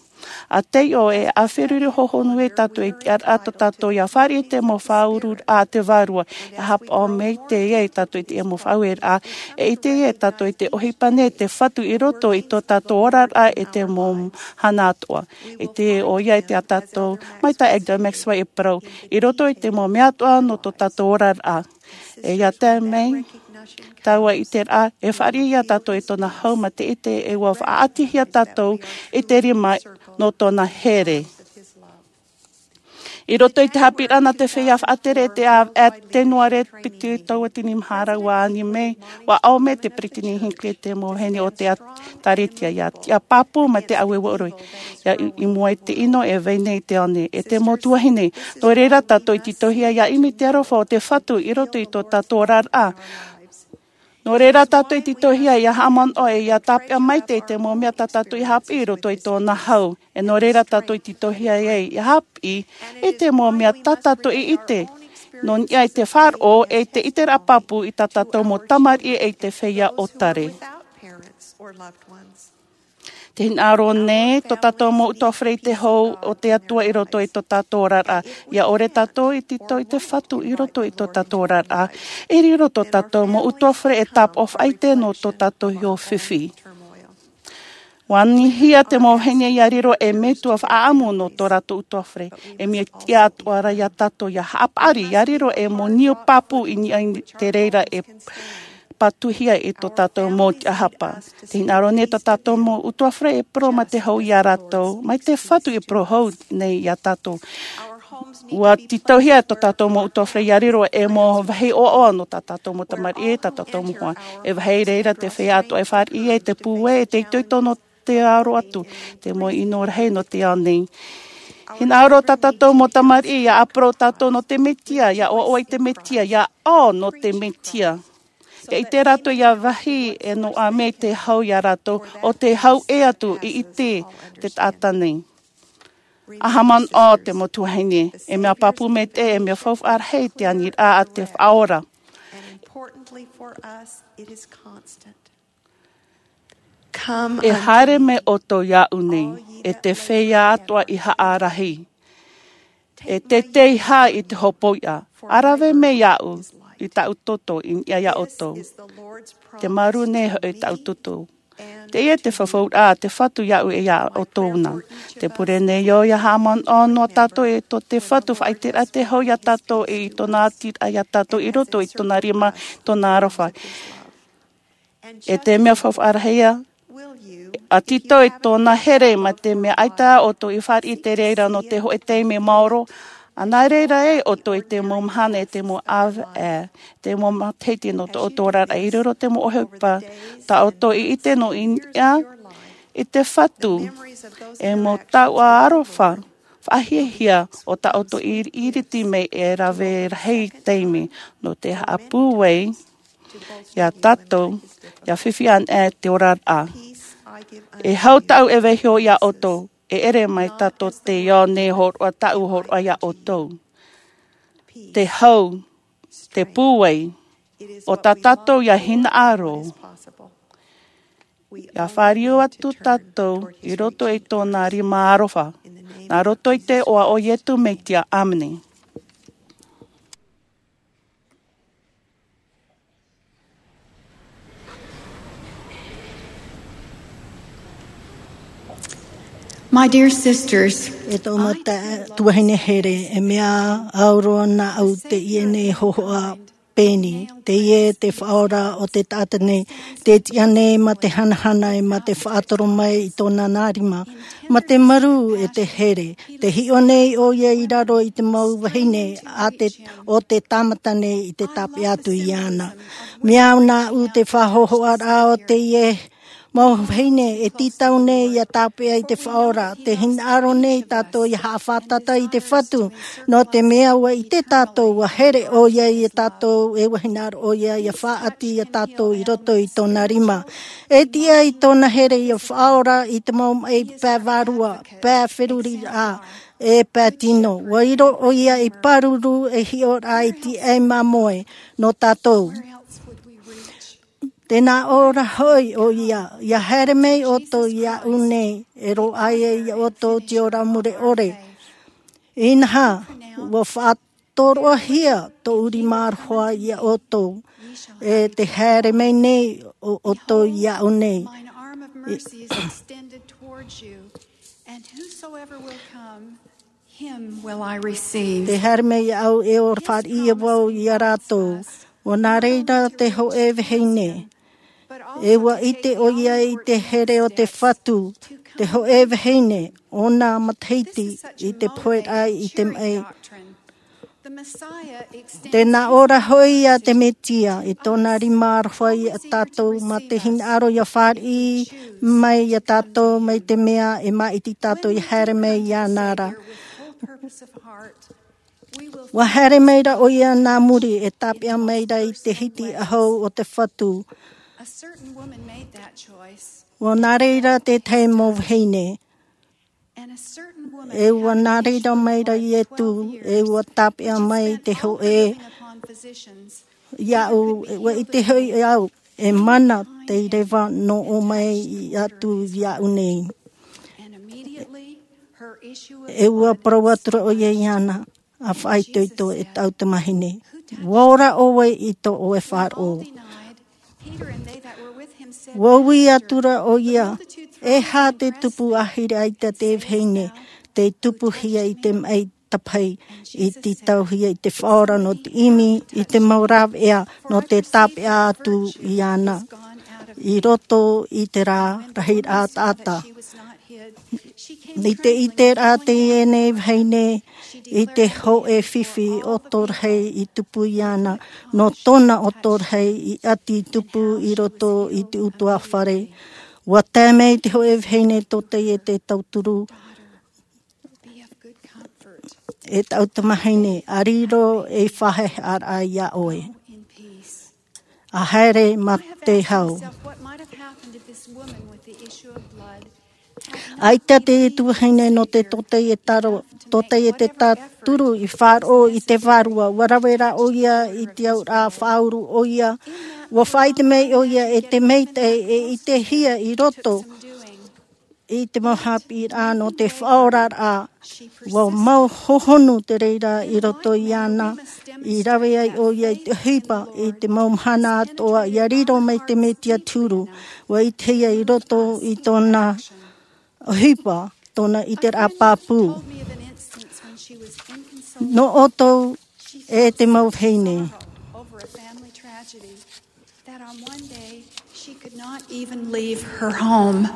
A teiʻo e a feruri hohonu e tātou i te araʻa tō tātou ia fāriʻi te mau faʻaururaʻa a te vārua ia hapaʻo mai te ia i tātou i te ia mau faʻaueraʻa. E ʻite ia e tātou i te ʻohipa nei te fatu i roto i tō tātou oraraʻa e te mau hana atoʻa. E te ʻo ia i te a tātou mai tā Elder Maxwell e parau i roto i te mau mea atoʻa nō tō tātou oraraʻa. E ia tae mai tāua i te rā e fāriʻi iā tātou i tōna hau ma te ʻite e ua faʻaʻatihia tātou i te rima nō tōna here. I roto i te hāpiʻiraʻa nā te feiā faʻatere te a e te noa re piti taua tini mahara ua ani mai ua ao mai te peretiteni hinckley te mau vahine o te ʻēkālesia ia tiʻa pāpū ma te ʻaueue ʻore ia i mua i te ʻino e vai nei i te ao nei e te mau tuahine. Nō reira tātou i titohia ia ʻimi te aroha o te fatu i roto i tō tātou oraraʻa. Nō reira tātou i titohia ia haʻamanaʻo e ia tāpeʻa maite i te mau mea tā tātou i haʻapiʻi i roto i tōna hau. E nō reira tātou i titohia ai ia haʻapiʻi i te mau mea tā tātou i ʻite nō niʻa i te faʻaroʻo e i te ʻiteraʻa pāpū i tā tātou mau tamariʻi e i te feiā ʻōtare. Te hinaʻaro nei tō tātou mau utuafare i te hau o te atua i roto i tō tātou oraraʻa. Ia ʻore tātou i tito i te fatu i roto i tō tātou oraraʻa. E riro tō tātou mau utuafare e tāpaʻo faʻaite nō tō tātou iho fifi. Ua anihia te mau vahine ia riro e metua faʻaʻamu nō tō rātou utuafare. E mea tiʻa atu ʻara iā tātou ia haʻapaʻari ia riro e mau niu pāpū i niʻa i te reira e pātuhia i tō tātou mau tiʻahapa. Te hinaʻaro nei tō tātou mau utuafare e parau ma te hau iā rātou mai te fatu e parau hau nei iā tātou. Ua titohia tō tātou mau utuafare ia riro e mau vahi ʻoaʻoa nō tā tātou mau tamariʻi tā tātou mau hoa. E vahi reira te feiā atoʻa e fāriʻi ai te pūai e te itoito nō te aro atu te mau ʻino rahi nō te ao nei. Hinaʻaro tā tātou mau tamariʻi ia ʻāparau tātou nō te mesia ia ʻoaʻoa i te mesia ia ʻō nō te mesia. Ia ʻite rātou ia vahi e noaʻa mai te hau iā rātou o te hau ʻē atu i ʻite te taʻata nei. A haʻamanaʻo te mau tuahine e mea pāpū maitaʻi e mea faufaʻa rahi te aniraʻa a te faʻaora. E haere mai ʻoutou iāʻu nei e te feiā atoʻa i haʻarahi. E teitei hā i te hopoiʻa a rave mai iāʻu i taʻu toto i niʻa iā ʻoutou. Te maru nei hoʻi taʻu toto. Teie te fafauraʻa a te fatu iāʻu e iā ʻoutou na. Te pure nei ʻo ia haʻamanaʻo noa tātou e tō te fatu faʻaiteraʻa te hau iā tātou e i tōna atiraʻa iā tātou i roto i tōna rima tōna aroha. E te mea faufaʻa rahi ia ʻa tītau i tōna here, mā te mea ʻaita ʻoutou i fāriʻi i te reira nō te hōʻē taime maoro, ʻa nā reira ē ʻoutou i te mau mahana, i te mau ʻāvaʻe, te mau matahiti nō tō ʻoutou oraraʻa i riro te mau ʻohipa tā ʻoutou i ʻite nō niʻa i te Fatu, e mau taoʻa aroha faʻahiahia o tā ʻoutou i iriti mai e rave rahi taime nō te haʻapūai iā tātou, ʻia fifi anaʻe te oraraʻa. E hau tāʻu e vaiiho iā ʻoutou, e ʻere mai tātou te ao nei hōroʻa, tāʻu hōroʻa iā ʻoutou. Te hau, te pūai, ʻo tā tātou ʻia hinaʻaro. ʻIa fāriu atu tātou i roto i tōna rima aroha. Nā roto i te iʻoa o Iesu Mesia, ʻāmene. My dear sisters, e tō mata tuahine here, e mea au roa nāʻu teie nei hōhoʻa pēni, teie te Faʻaora o te taʻata nei, tē tiʻa nei mā te hanahana e mā te faʻatoro mai i tōna nā rima, mā te marū e te here, tē hiʻo nei ʻoia i raro i te mau vahine a te, o te tāmata nei i te tāpeʻa atu iāna. Mea au nāʻu te faʻahōhoʻaraʻa o teie mau vahine e tītau nei ʻia tāpeʻa i te Faʻaora, tē hinaʻaro nei tātou ʻia haʻafātata i te Fatu, nō te mea ʻua ʻite tātou ʻua here ʻoia iā tātou, e ʻua hinaʻaro ʻoia ʻia faʻaʻati iā tātou i roto i tōna rima. E tiʻa i tōna here ʻia faʻaora i te mau maʻi pae vārua, pae feruriraʻa, e pae tino. ʻUa riro ʻoia i pāruru ei hiʻoraʻa i te ʻāiʻa māmoe nō tātou. Tē nā ʻō ra hoʻi ʻoia, ʻia haere mai ʻoutou iāʻu nei, e roaʻa ai iā ʻoutou te ora mure ʻore. Inaha, ʻua faʻatoroʻahia tōʻu rima aroha iā ʻoutou, e tē haere mai nei ʻo, ʻoutou iāʻu nei. Mine arm of mercy is extended towards you, and whosoever will come, him will I receive. Tē haere mai au e ora fāriʻi vau iā rātou. ʻUa nā reira te hōʻē vahine. E ʻua ʻite ʻoia i te here o te Fatu, te hōʻē vahine, ʻōna matahiti i te poheraʻa i te maʻi. Tē nā ʻō ra hoʻi iā te Mesia, i tōna rima aroha iā tātou, mā te hinaʻaro ʻia fāriʻi mai iā tātou, mai te mea e māʻiti tātou ʻia haere mai iāna ra. ʻUa haere mai ra ʻoia nā muri, e tāpeʻa mai ra i te hiti ʻahu o te Fatu. ʻUa nā reira te tahi mau vahine. E ʻua nā reira mai ra Iesu, e ʻua tāpeʻa mai te hōʻē iāʻu, e ʻua ʻite hoʻi au, e mana te reva nō ʻō mai atu iāʻu nei. E ʻua parau atu ra ʻoia iāna, ʻa faʻaitoito, e taʻu tamahine. ʻUa ora ʻoe i tō ʻoe faʻaroʻo. ʻUa ui atu ra ʻoia, e aha te tupu ʻāhiri ʻaita te vahine, tei tupuhia i te maʻi tāpaʻi, i tītauhia i te Faʻaora nō te ʻimi i te mau rāveʻa, nō te tāpeʻa atu iāna. I roto i te rā, rahiraʻa taʻata. I te ʻiteraʻa teie nei vahine, i te hōʻē fifi ʻoto rahi i tupu iāna, nō tōna ʻoto rahi i ʻati tupu i roto i te ʻutuāfare. ʻUa tae mai te hōʻē vahine tō teie te tauturu, e taʻu tamahine, ʻa riro ei faʻahaʻehaʻaraʻa iā ʻoe. ʻA haere mā te hau. ʻAita te tuahine nō te tōtaietaro, tōtaietaro turu i faʻaroʻo i te vārua, ʻua rave rā ʻoia i te auraʻa, faʻauru ʻoia, ʻua faʻaʻite mai ʻoia e te maitaʻi e ʻitehia i roto i te mau haʻapiʻiraʻa nō te faʻaoraraʻa. ʻUa mau hohonu te reira i roto iāna, i rave ai ʻoia i te ʻohipa i te mau mahana atoʻa, ʻia riro mai te Mesia te huru. ʻUa ʻitehia i roto i tōna ʻohipa, tōna ʻiteraʻa pāpū. Nō ʻoutou e te mau vahine. That on one day she could not even leave her home.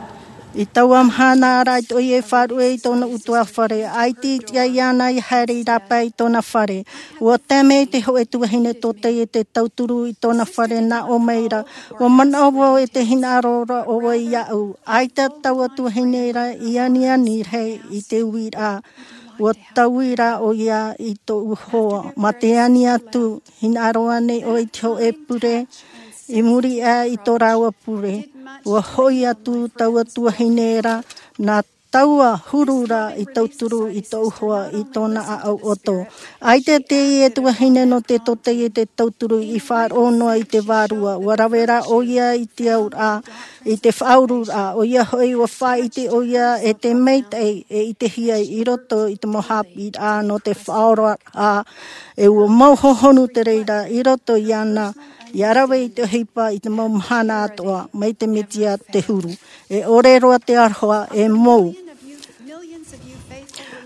I taua mahana ra i tō ia e faʻaruʻe i tōna ʻutuāfare, ʻaita i tiʻa iāna ia haere i rāpae i tōna fare. Ua tae mai te hōʻē tuahine tōtaiete tauturu i tōna fare nā ʻō mai ra, ua manaʻo vau e te hinaʻaro ra ʻoe iāʻu. ʻAita taua tuahine ra i aniani rahi i te uiraʻa. Ua taui ra ʻo ia i tōʻu hoa. Mā te ani atu, hinaʻaro ānei ʻoe i te hōʻē pure? I muri aʻe i tō rāua pure, ua hoʻi atu taua tuahine ra, nā taua huru ra i tauturu i tōʻu hoa i tōna ʻāʻau ʻoto. ʻAita teie tuahine nō te tōtaiete tauturu i faʻaroʻo noa i te vārua. Ua rave ra ʻo ia i te auraʻa, i te faʻaururaʻa. ʻO ia hoʻi, ua faʻaʻite ʻo ia e te maitaʻi e ʻitehia i roto i te mau haʻapiʻiraʻa nō te faʻaoraraʻa, e ua mau hohonu te reira i roto iāna, ia rave i te ʻohipa i te mau mahana atoʻa, mai te Mesia te huru. E ʻore roa te aroha, e mou.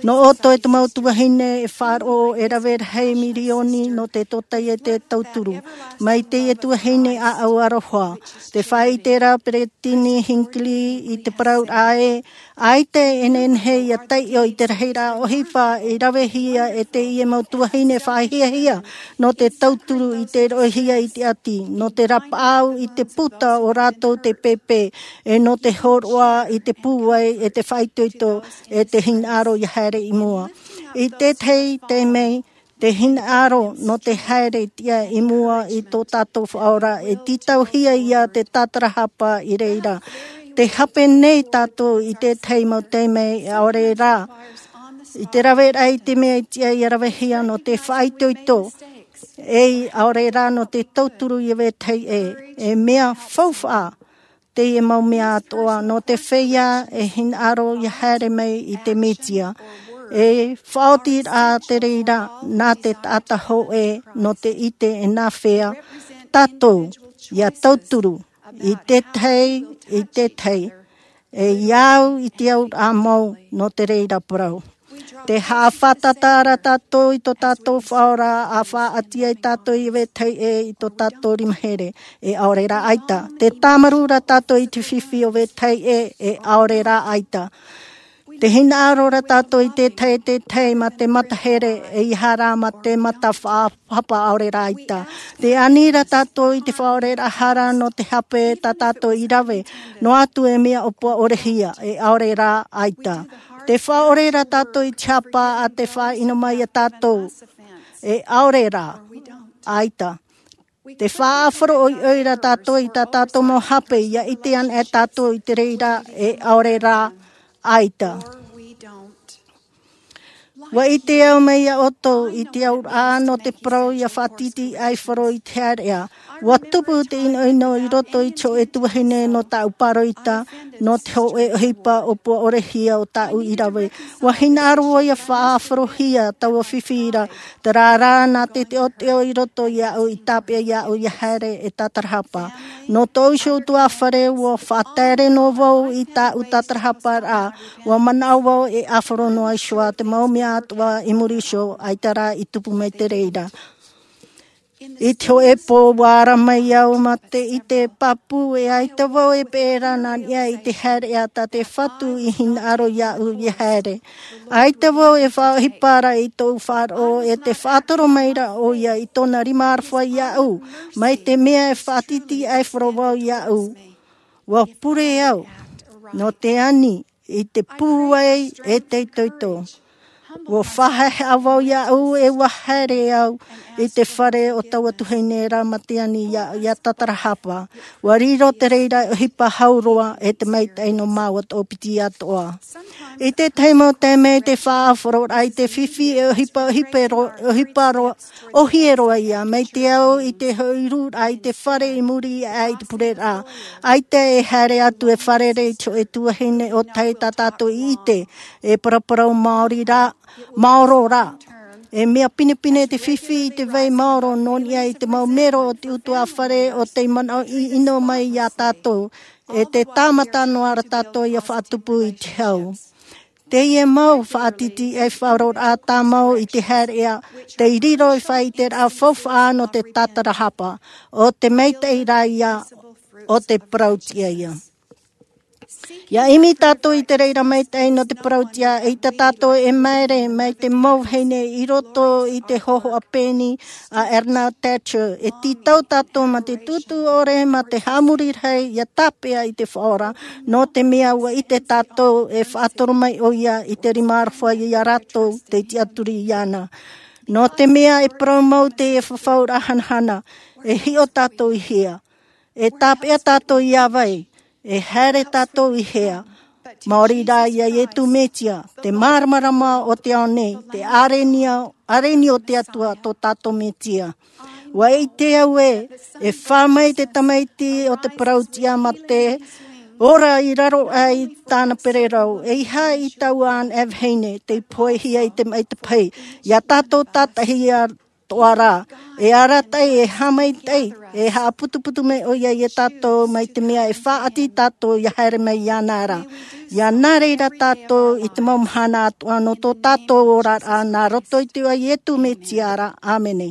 Nō ʻoutou e te mau tuahine e faʻaroʻo, e rave rahi mirioni nō te tōtaiete tauturu. Mai teie tuahine ʻāʻau aroha. Tē faʻaʻite ra Peretiteni Hinckley i te parau ra ē, ʻaita e nehenehe ia taiʻo i te rahiraʻa ʻohipa i ravehia e teie mau tuahine faʻahiahia nō te tauturu i te roʻohia i te ʻati, nō te rapaʻau i te puta o rātou te pēpē, e nō te hōroʻa i te pūai e te faʻaitoito e te hinaʻaro ia haere i mua. I te tahi taime, te hinaʻaro nō te haere tiʻa i mua i tō tātou Faʻaora, e tītauhia ia te tātarahapa i reira. Tē hape nei tātou i te tahi mau taime, e ʻaore rā. I te raveraʻa i te mea i tiʻa ia ravehia nō te faʻaitoito, e ʻaore rā nō te tauturu ia vetahi ʻē. E mea faufaʻa teie mau mea atoʻa, nō te feiā e hinaʻaro ia haere mai i te Mesia. E faʻaotiraʻa te reira nā te taʻata hōʻē nō te ʻite e nāfea tātou ia tauturu i te tahi, i te tahi, e ia au i te auraʻa mau nō te reira parau. Tē haʻafātata ra tātou i tō tātou Faʻaora, ʻa faʻaʻati ai tātou ia vetahi ʻē i tō tātou rima here, e ʻaore rā ʻaita. Tē tāmarū ra tātou i te fifi o vetahi ʻē, e ʻaore rā ʻaita. Tē hinaʻaro ra tātou i te tahi, te tahi mā te mata here, ʻeiaha rā mā te mata faʻa- hapa ʻaore rā ʻaita. Tē ani ra tātou i te faʻaoreraʻa hara nō te hape tā tātou i rave, noa atu e mea ʻōpua ʻore hia, e ʻaore rā ʻaita. Tē faʻaʻore ra tātou i te hapa a te faʻaʻino mai ia tātou, e ʻaore rā ʻaita. Tē faʻaʻāfaro ʻoiʻoi ra tātou i tā tātou mau hape, ia ʻite ana e tātou i te reira, e ʻaore rā ʻaita. Ua ʻite au mai ia ʻoutou i te auraʻa nō te parau ia faʻatītīʻaifaro i te haereʻa. Ua tupu te ʻinoʻino i roto i te hōʻē tuahine nō tāʻu pāroita, nō te hōʻē ʻohipa ʻōpua ʻore hia o tāʻu i rave. Ua hinaʻaro ia faʻaʻāfarohia taua fifi ra, terā rā nā te teʻoteʻo i roto iāʻu i tāpeʻa iāʻu ia haere e tātarahapa. Nō tōʻu iho ʻutuāfare, ua faʻataere noa vau i tāʻu tātarahaparaʻa, ua manaʻo vau e ʻāfaro noa iho ā te mau mea atoʻa i muri iho, ʻaita rā i tupu mai te reira. I te hōʻē pō, ua ara mai au mā te ʻite pāpū, e ʻaita vau e peʻe ra nā niʻa i te haereʻa tā te Fatu i hinaʻaro iāʻu ia haere. ʻAita vau e faʻaʻohipa ra i tōʻu faʻaroʻo, e tē faʻatoro mai ra ʻo ia i tōna rima aroha iāʻu, mai te mea e faʻatītīʻaifaro vau iāʻu. Ua pure au nō te ani i te pūai e te itoito. Ua faʻahaʻehaʻa vau iāʻu, e ua haere au i te fare o taua tuahine ra mā te ani ia, ia tātarahapa. Ua riro te reira e ʻohipa hau roa, e te maitaʻi nō māua toʻopiti atoʻa. I te tahi mau taime, te faʻaʻāfaroraʻa i te fifi e ʻohipa, ʻohipa ro-, ʻohipa ro-, ʻōhie roa ia, mai te au i te hōʻē ʻūraʻa i te fare i muri aʻe i te pureraʻa. ʻAita e haere atu e fārerei i te hōʻē tuahine ʻo tei tā tātou i ʻite, e paraparau maori rā, maoro rā. E mea pinepine te fifi i te vai maoro nō niʻa i te mau mero o te ʻutuāfare ʻo tei manaʻo ʻino mai ia tātou, e tē tāmata noa ra tātou ia faʻatupu i te hau. Teie mau faʻatītīʻaifaroraʻa tāmau i te haereʻa, tei riro i te faʻaʻiteraʻa faufaʻa nō te tātarahapa, ʻo te maitaʻi rā ia, ʻo te parau tiʻa ia. Ia ʻimi tātou i te reira maitaʻi nō te parauʻtiʻa, ʻeita tātou e māere mai te mau vahine i roto i te hōhoʻa pēni a Erna Thatcher, e tītau tātou mā te tūtū ʻore, mā te haʻamori rahi, ia tāpeʻa i te Faʻaora, nō te mea ʻua ʻite tātou e faʻatoro mai ʻoia i te rima aroha iā rātou tei tiʻaturi iāna. Nō te mea e parau mau teie fafauraʻa hanahana, e hiʻo tātou i hea? E tāpeʻa tātou iā vai? E haere tātou i hea? Maori rā iā Ietu Metia, te māramarama o te ao nei, te ʻārenio, ʻārenio o te Atua, tō tātou Metia. ʻUa ʻite au ē, e fā mai te tamaiti o te parauʻtiʻa mā te ora i raro aʻe i tāna pererau, ʻeiaha i taua anaʻe vahine, tei poʻihia i te maʻi tapahi, iā tātou tātaʻihia atoʻa rā. E arataʻi, e haʻamaitaʻi, e haʻaputuputu mai ʻoia iā tātou, mai te mea e faʻaʻati tātou ia haere mai iāna ra. Ia nā reira tātou i te mau mahana atoʻa nō tō tātou oraraʻa, nā roto i te iʻoa o Ietu Metia ra. ʻĀmene.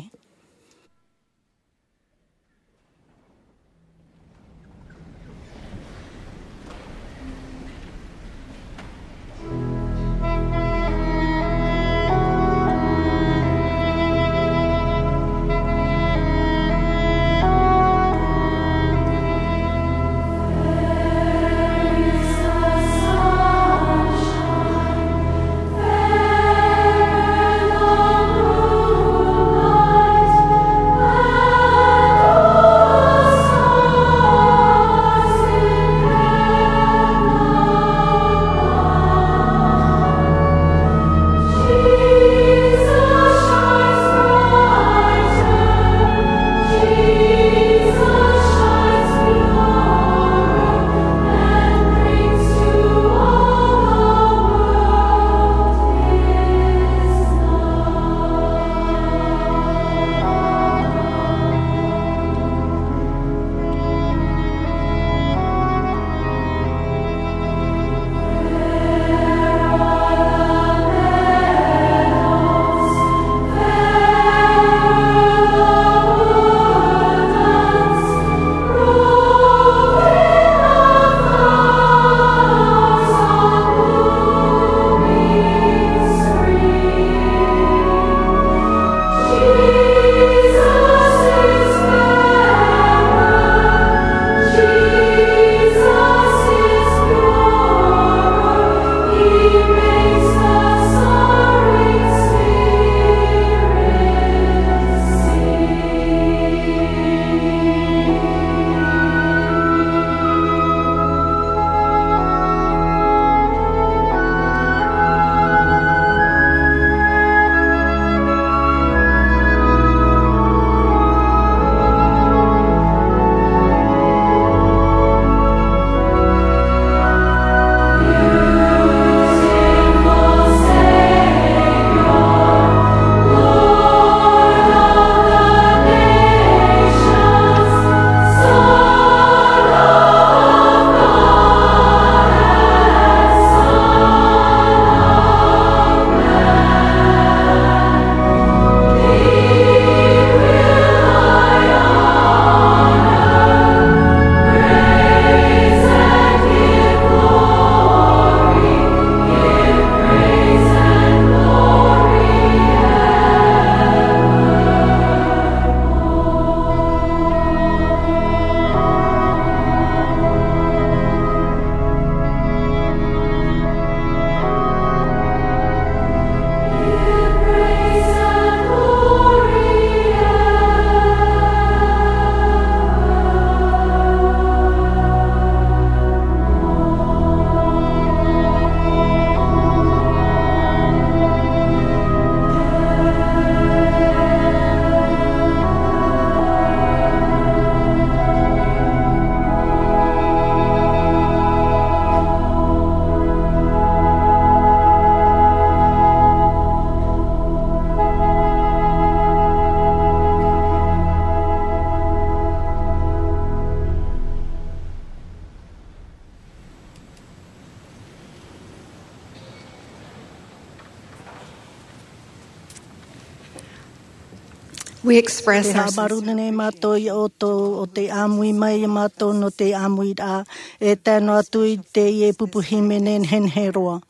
We express our haʻamāuruuru nei mātou iā ʻoutou ʻo tē ʻāmui mai iā mātou nō te ʻāmuiraʻa, e tae noa atu i teie pupu hīmene nehenehe roa.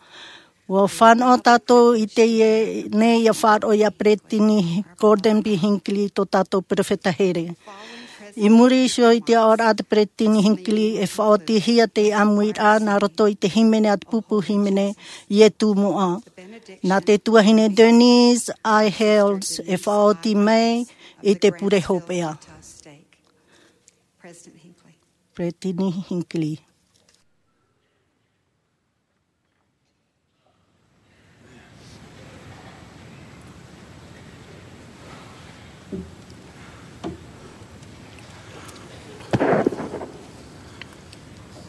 Ua fānaʻo tātou i teie nei ʻia faʻaroʻo iā Peresideni Gordon B. Hinckley, tō tātou peropheta here. I muri iho i te aʻoraʻa a te Peresideni Hinckley, e faʻaotihia te ʻāmuiraʻa nā roto i te hīmene a te pupu hīmene, Ietu Moʻa. Nā te tuahine Denise I. Hales e faʻaoti mai i te pure hopeʻa. Peresideni Hinckley.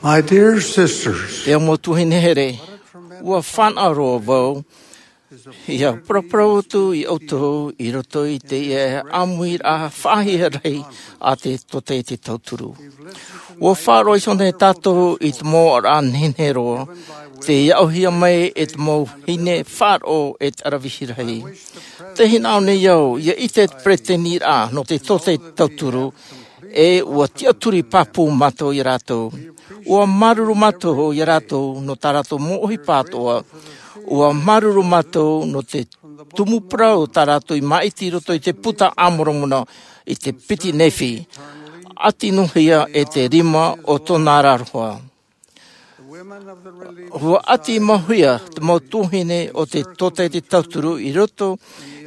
My dear sisters, Te mau tuahine here, ua fānaʻo roa vau ʻia paraparau atu iā ʻoutou i roto i teie ʻāmuiraʻa faʻahiahia rahi a te tōtaiete tauturu. Ua faʻaroʻo iho nei tātou i te mau aʻoraʻa nehenehe roa, tei aʻohia mai e te mau vahine faʻaroʻo e te ʻaravihi rahi. Tē hinaʻaro nei au ʻia ʻite te peresideni nō te tōtaiete tauturu, e ua tiʻaturi pāpū mātou iā rātou. Ua māuruuru mātou iā rātou nō tā rātou mau ʻohipa atoʻa. Ua māuruuru mātou nō te tumu parau tā rātou i māʻiti i roto i te puta a Moromona i te piti Nephi. ʻAti noa hia e te rima o tōna aroha. Ua ʻati mau hia te mau tuahine o te tōtaiete tauturu i roto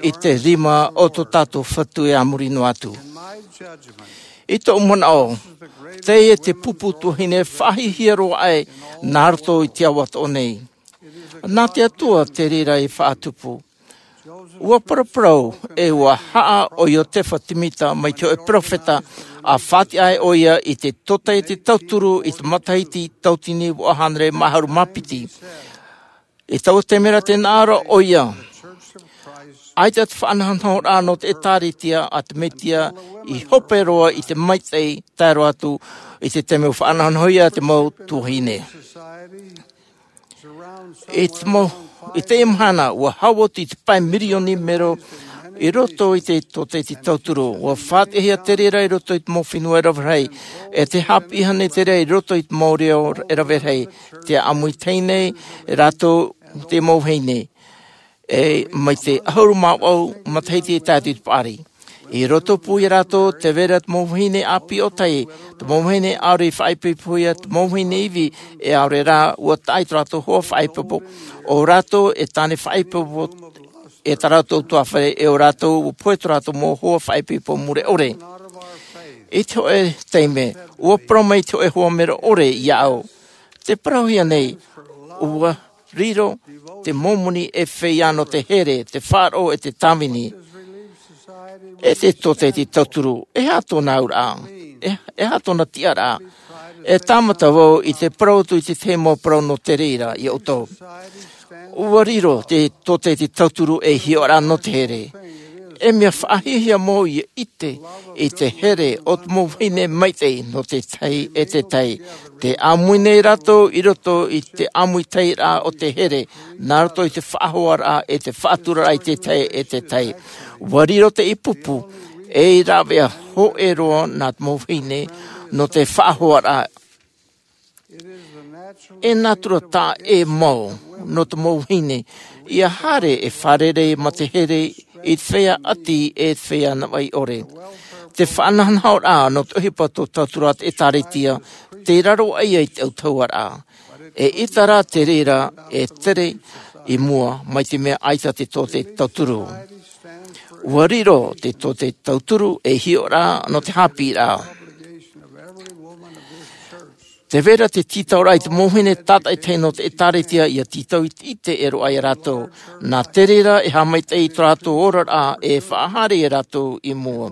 i te rima o tō tātou Fatu e a muri noa atu. I tōʻu manaʻo, teie te pupu tuahine faʻahiahia roa aʻe nā roto i te ao atoʻa nei. Nā te Atua te reira i faʻatupu. Ua paraparau e ua haʻa ʻo Iotefa Timita mai te hōʻē peropheta, ʻa faʻatiʻa ai ʻoia i te tōtaiete tauturu i te matahiti tauatini vaʻu hānere mā ʻahuru mā piti. I taua taime ra tē nā ʻō ra ʻoia, ʻaita te faʻanahonahoraʻa nō te ʻĒtārētia a te Mesia i hope roa i te maitaʻi, tae roa atu i te taime ua faʻanahonahohia te mau tuahine. I te mau, i teie mahana, ua hau atu i te pae mirioni mero i roto i te tōtaiete tauturu. Ua faʻatiʻahia te reira i roto i te mau fenua e rave rahi, e tē haʻapiʻihia nei te reira i roto i te mau reo e rave rahi. Tē ʻāmuiraʻa nei rātou te mau vahine. E mai te ʻahuru mā vaʻu matahiti e tae atu i te paʻari. I roto pū iā rātou, tē vai ra te mau vahine ʻāpī ʻōtahi, te mau vahine ʻaore i faʻaipoipohia, te mau vahine ivi, e ʻaore rā, ua taʻa i tō rātou hoa faʻaipoipo. ʻO rātou e tāne faʻaipoipo, e tā rātou tuāfare, e ʻo rātou, ua pohe tō rātou mau hoa faʻaipoipo mure ʻore. I te hōʻē taime, ua parau mai te hōʻē hoa mero ʻore iāʻu. Tē parauhia nei, ua riro te mau moni e feiā nō te here, te faʻaroʻo e te tāvini. E te tōtaiete tauturu, e aha tōna auraʻa? E, e aha tōna tiʻaraʻa? E tāmata vau i te parau atu i te tahi mau parau nō te reira iā ʻoutou. Ua riro te tōtaiete tauturu ei hiʻoraʻa nō te here. E mea faʻahiahia mau ʻia ʻite i te here o te mau vahine maitaʻi nō te tahi e te tahi. Tē ʻāmui nei rātou i roto i te ʻāmuitahiraʻa o te here, nā roto i te faʻahoaraʻa e te faʻaturaraʻa i te tahi e te tahi. Ua riro teie pupu, ei rāveʻa hōʻē roa nā te mau vahine nō te faʻahoaraʻa. E nātura taʻa ʻē mau nō te mau vahine ʻia haere e fārerei mā te here i te feiā ʻati e te feiā navaʻi ʻore. Te faʻanahonahoraʻa nō te ʻohipa tō tauturu a te ʻĒtārētia, tei raro aʻe ia i te ʻautahuʻaraʻa. E ʻita rā te reira e tere i mua mai te mea ʻaita te tōtaiete tauturu. Ua riro te tōtaiete tauturu ei hiʻoraʻa nō te haʻapiʻiraʻa. Tē vai ra te tītauraʻa i te mau vahine tātaʻitahi nō te ʻĒtārētia ʻia tītau i te ʻite e roaʻa iā rātou. Nā te reira e haʻamaitaʻi i tō rātou oraraʻa e faʻahaere iā rātou i mua.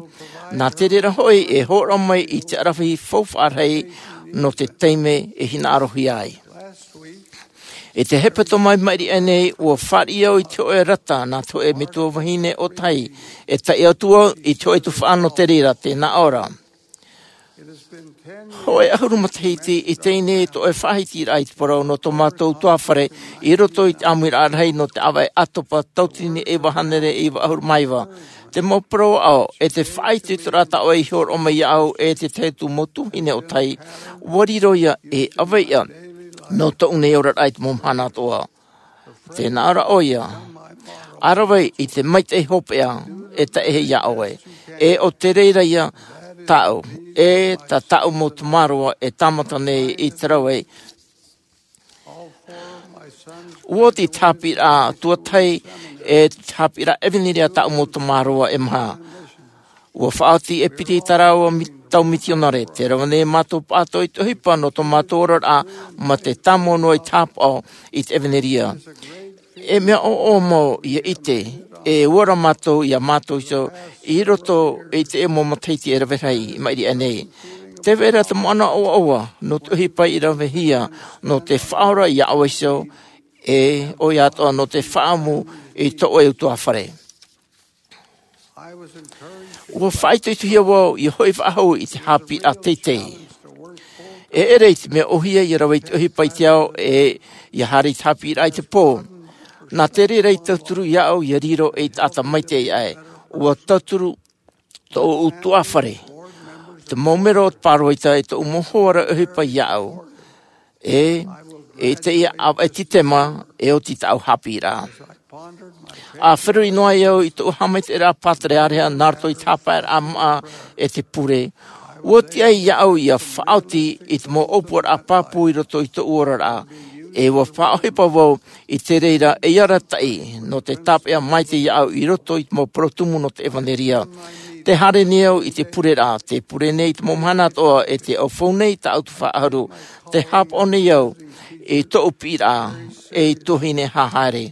Nā te reira hoʻi e hōroʻa mai i te ʻaravihi faufaʻa rahi nō te taime e hinaʻarohia ai. I te hepetoma i maʻiri aʻe nei, ua fāriʻi au i te hōʻē rata nā te hōʻē metua vahine ʻōtahi, e taiʻo atu au i te hōʻē tuhaʻa nō te reira, tē nā ʻō ra. Hoʻē ʻahuru matahiti i teie nei tō ʻoe faʻahitiraʻa i te parau nō tō mātou tuāfare i roto i te ʻāmuiraʻa rahi nō te ʻāvaʻe ʻātopa tauatini e iva hānere e iva ʻahuru mā iva. Te mau parau aʻo e te faʻaitoitoraʻa tā ʻoe i hōroʻa mai iāʻu e te tahi atu mau tuahine ʻo tai, ua riro ia e ʻaveiʻa nō tōʻu nei oraraʻa i te mau mahana atoʻa. Tē nā ʻō ra ʻoia, ʻa rave i te maitaʻi hopeʻa e taʻe iā ʻoe, e ʻo te reira ia tāʻu, e tā tāʻu mau tamaroa e tāmata nei i te rave. Ua oti te haʻapiʻiraʻa tuatahi e te haʻapiʻiraʻa ʻevanelia tāʻu mau tamaroa e maha. Ua faʻaoti e piti i tā rāua mi- tau mitionare, tē rave nei mātou pāʻatoʻa i te ʻohipa nō tō mātou oraraʻa mā te tāmau noa i te hāpaʻo i te ʻevanelia. E mea ʻoʻoa mau ia ʻite, e ora mātou iā mātou iho i roto i te mau matahiti e rave rahi i maʻiri aʻe nei. Tē vai ra te moʻana ʻoaʻoa nō te ʻohipa i ravehia nō te faʻaora iā ʻoe iho, e ʻoia atoʻa nō te faʻaʻamu i tō ʻoe utuāfare. Ua faʻaitoitohia vau ia hoʻi faʻahou i te haʻapiʻiraʻa teitei. E ʻere i te mea ʻōhie ia rave i te ʻohipa i te ao e ia haere i te haʻapiʻiraʻa i te pō. Nā te reira i tauturu iāʻu ia riro ei taʻata maitaʻi aʻe. Ua tauturu tōʻu utuāfare, te mau mero o te pāroita e tōʻu mau hoa ra ʻohipa iāʻu. E, e teie ʻāvaʻe Tītema, e oti tāʻu haʻapiʻiraʻa. ʻA feruri noa ai au i tōʻu haʻamaitaʻiraʻa pātereareha nā roto i te haʻapaeraʻa maʻa e te pure. Ua tiʻa iāʻu ia faʻaoti i te mau ʻōpuaraʻa pāpū i roto i tōʻu oraraʻa. E ua faʻaʻohipa vau i te reira ei arataʻi nō te tāpeʻa maitaʻi iāʻu i roto i te mau parau tumu nō te ʻevanelia. Tē haere nei au i te pureraʻa, tē pure nei i te mau mahana atoʻa e tē ʻaufau nei tāʻu tuhaʻa ʻahuru. Tē hāpaʻo nei au i tōʻu piʻiraʻa ei tuahine haʻahaere.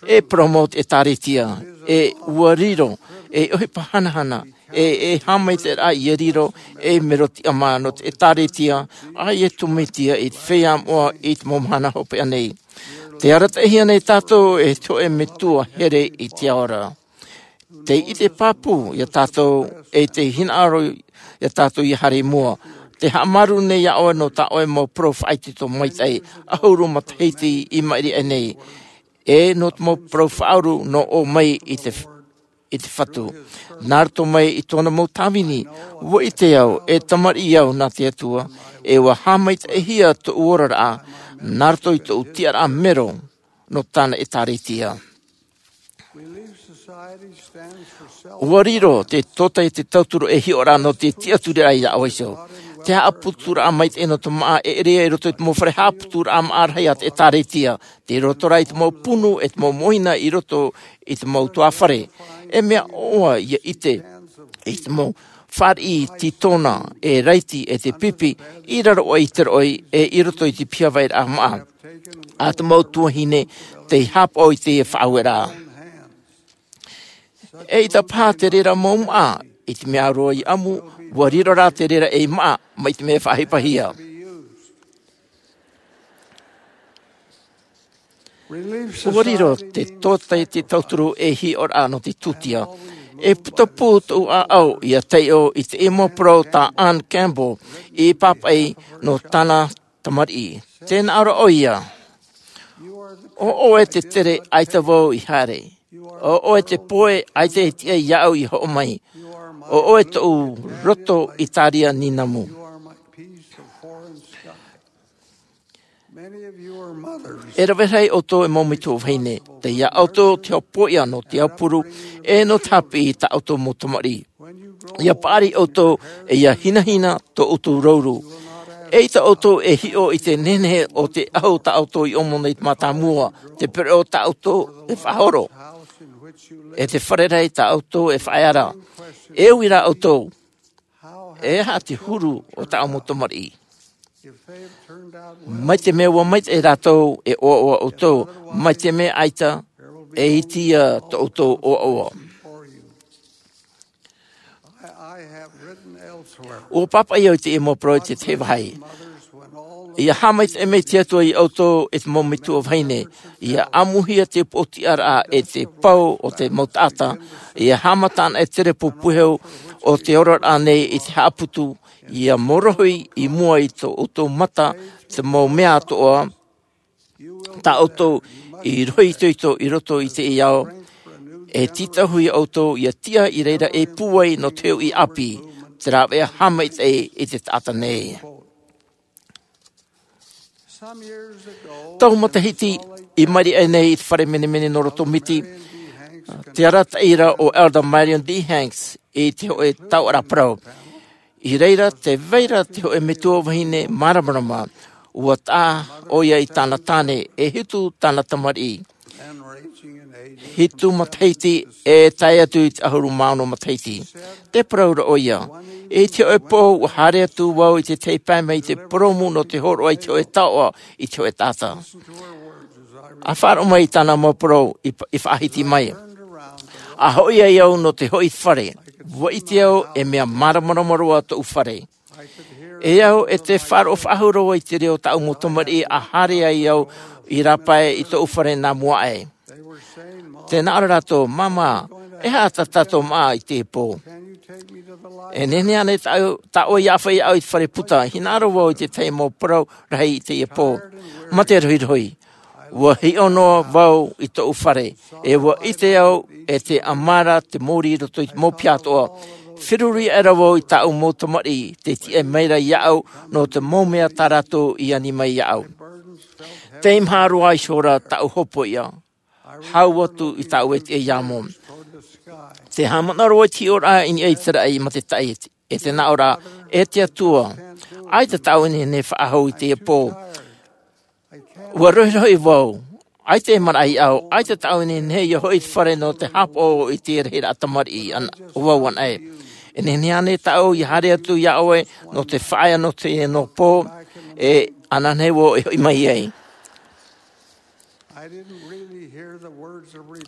E parau mau te ʻĒtārētia, e ua riro ei ʻohipa hanahana, e, e haʻamaitaʻiraʻa ia riro ei mero tiʻamā nō te ʻĒtārētia a Iesu Mesia i te feiā moʻa i te mau mahana hopeʻa nei. Tē arataʻihia nei tātou e te hōʻē metua here i te ao ra. Tē ʻite pāpū iā tātou, e tē hinaʻaro iā tātou ia haere i mua. Tē haʻamāuruuru nei iā ʻoe nō tā ʻoe mau parau faʻaitoito maitaʻi, ʻahuru matahiti i maʻiri aʻe nei. E nō te mau parau faʻauru nō ʻō mai i te, i te Fatu. Nā roto mai i tōna mau tāvini, ua ʻite au, e tamariʻi au nā te Atua, e ua haʻamaitaʻihia tōʻu oraraʻa, nā roto i tōʻu tiʻaraʻa mero nō tāna ʻĒtārētia. Ua riro te tōtaiete tauturu ei hiʻoraʻa nō te tiʻaturiraʻa iā ʻoe iho. Te haʻaputuraʻa maitaʻi nō te māʻa e ʻere i roto i te mau fare haʻaputuraʻa māʻa rahi a te ʻĒtārētia. Tei roto rā i te mau punu e te mau mōhina i roto i te mau utuāfare. E mea ʻoaʻoa ia ʻite i te mau fāriʻi tītona, e raiti, e te pipi, i raro aʻe i te roʻi, e i roto i te piha vairaʻa māʻa a te mau tuahine tei hāpaʻo i teie faʻaueraʻa. ʻEita paha te reira mau māʻa, i te mea roa i ʻamu, ua riro rā te reira ei māʻa, mai te mea faʻaʻohipahia. Ua riro te tōtaiete tauturu ei hiʻoraʻa nō te tūtia. E putapū tōʻu ʻāʻau ia taiʻo i te mau parau tā Anne Campbell i pāpaʻi nō tāna tamariʻi. Tē nā ʻō ra ʻoia, ʻo ʻoe te tere, ʻaita vau i haere. ʻO ʻoe te poe, ʻaita e tiʻa iāʻu i hoʻo mai. ʻO ʻoe tōʻu roto i tāria nīnamu. E rave rahi ʻoutou e mau metua vahine. Teie ʻoutou te hopoiʻa nō te aupuru, e nō te haʻapiʻi i tā ʻoutou mau tamariʻi. ʻIa paʻari ʻoutou, e ʻia hinahina tō ʻoutou rauru. ʻEita ʻoutou e hiʻo i te nehenehe o te ʻahu tā ʻoutou i ʻomo nei i te mātāmua, te pereʻoʻo tā ʻoutou e faʻahoro, e te fare rahi tā ʻoutou e faʻaea ra. E ui rā ʻoutou, e aha te huru o tāʻu mau tamariʻi? Mai te mea ua maitaʻi rātou, e ʻoaʻoa ʻoutou. Mai te mea ʻaita, e iti ia tō ʻoutou ʻoaʻoa. Ua pāpaʻi au i teie mau parau i te tahi vāhi. ʻIa haʻamaitaʻi mai te Atua iā ʻoutou e te mau metua vahine. ʻIa ʻāmuhia te upoʻotiʻaraʻa e te pau o te mau taʻata. ʻIa haʻamata anaʻe te repo puehu ʻo te oraraʻa nei i te haʻaputu, ia mōrohi i mua i tō ʻoutou mata te mau mea atoʻa, tā ʻoutou i rohi itoito i roto i te ao, e tītauhia ʻoutou ia tiʻa i reira e pūai nō te hoʻi ʻāpī, te rāveʻa haʻamaitaʻi i te taʻata nei. Tau matahiti i maʻiri aʻe nei i te fare menemene nō roto miti, te arataʻi ra o Elder Marion D. Hanks i te hoʻe tauʻaraʻa parau. I reira tē vai ra te hoʻe metua vahine māramarama, ua taʻa ʻoia i tāna tāne e hitu tāna tamariʻi. Hitu matahiti e tae atu i te ʻahuru mā ono matahiti. Tē parau ra ʻoia, i te hoʻe pō ua haere atu vau i te tahi pae mai i te purōmu nō te hōroʻa i te hoʻe taoʻa i te hoʻe taʻata. ʻA faʻaroʻo mai i tāna mau parau i, i faʻahiti mai. ʻA hoʻi ai au nō te hoʻi fare, ua ʻite au e mea māramarama roa tōʻu fare. E au e te faʻaroʻo faʻahou roa i te reo o tāʻu mau tamariʻi ʻa haere ai au i rāpae i tōʻu fare nā mua aʻe. Tē nā ʻō ra rātou, māmā, e aha tā tātou māʻa i teie pō? E nehenehe ānei tāʻu, tā ʻoe ia ʻāfaʻi iāʻu i te fare puta? Hinaʻaro vau i te tahi mau parau rahi i teie pō. Mate rohirohi. Ua hiʻo noa vau i tōʻu fare, e ua ʻite au e te ʻamara te mōrī i roto i te mau piha atoʻa. Feruri aʻera vau i tāʻu mau tamariʻi, tē tiʻa mai ra iāʻu nō te mau mea tā rātou i ani mai iāʻu. Teimaha roa ihora tāʻu hopoiʻa, hau atu i tāʻu e tiʻa iā mua. Tē haʻamanaʻo roa i te hiʻoraʻa i niʻa i te raʻi mā te taʻi, e tē nā ʻō ra, e te Atua, ʻaita tāʻu e nehenehe faʻahou i teie pō. Ua rohirohi vau, ʻaita e maraʻa iāʻu, ʻaita tāʻu e nehenehe ia hoʻi i te fare nō te haʻapaʻo i te rahiraʻa tamariʻi ana, o vau anaʻe. E nehenehe ānei tāʻu ia haere atu iā ʻoe nō te faʻaea nō teie noa pō, e ananahi vau e hoʻi mai ai.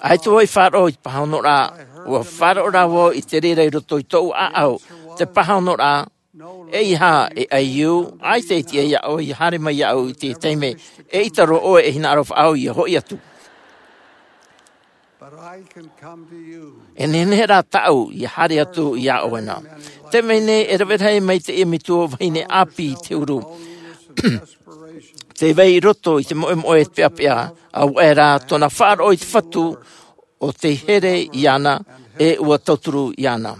ʻAita vau i faʻaroʻo i te pāhonoraʻa, ua faʻaroʻo rā vau i te reira i roto i tōʻu ʻāʻau, te pāhonoraʻa, ʻeiaha e ʻaiū, ʻaita e tiʻa iāʻu ia haere mai iāʻu i te taime, eʻita roa ʻoe e hinaʻaro faʻahou ia hoʻi atu. E nehenehe rā tāʻu ia haere atu iā ʻoe na. Te mea nei e rave rahi mai teie metua vahine ʻāpī i te huru. Tē vai i roto i te moʻemoʻe e te peʻapeʻa, ʻa ʻoe rā tōna faʻaroʻo i te Fatu, ʻo tē here iāna, e ua tauturu iāna.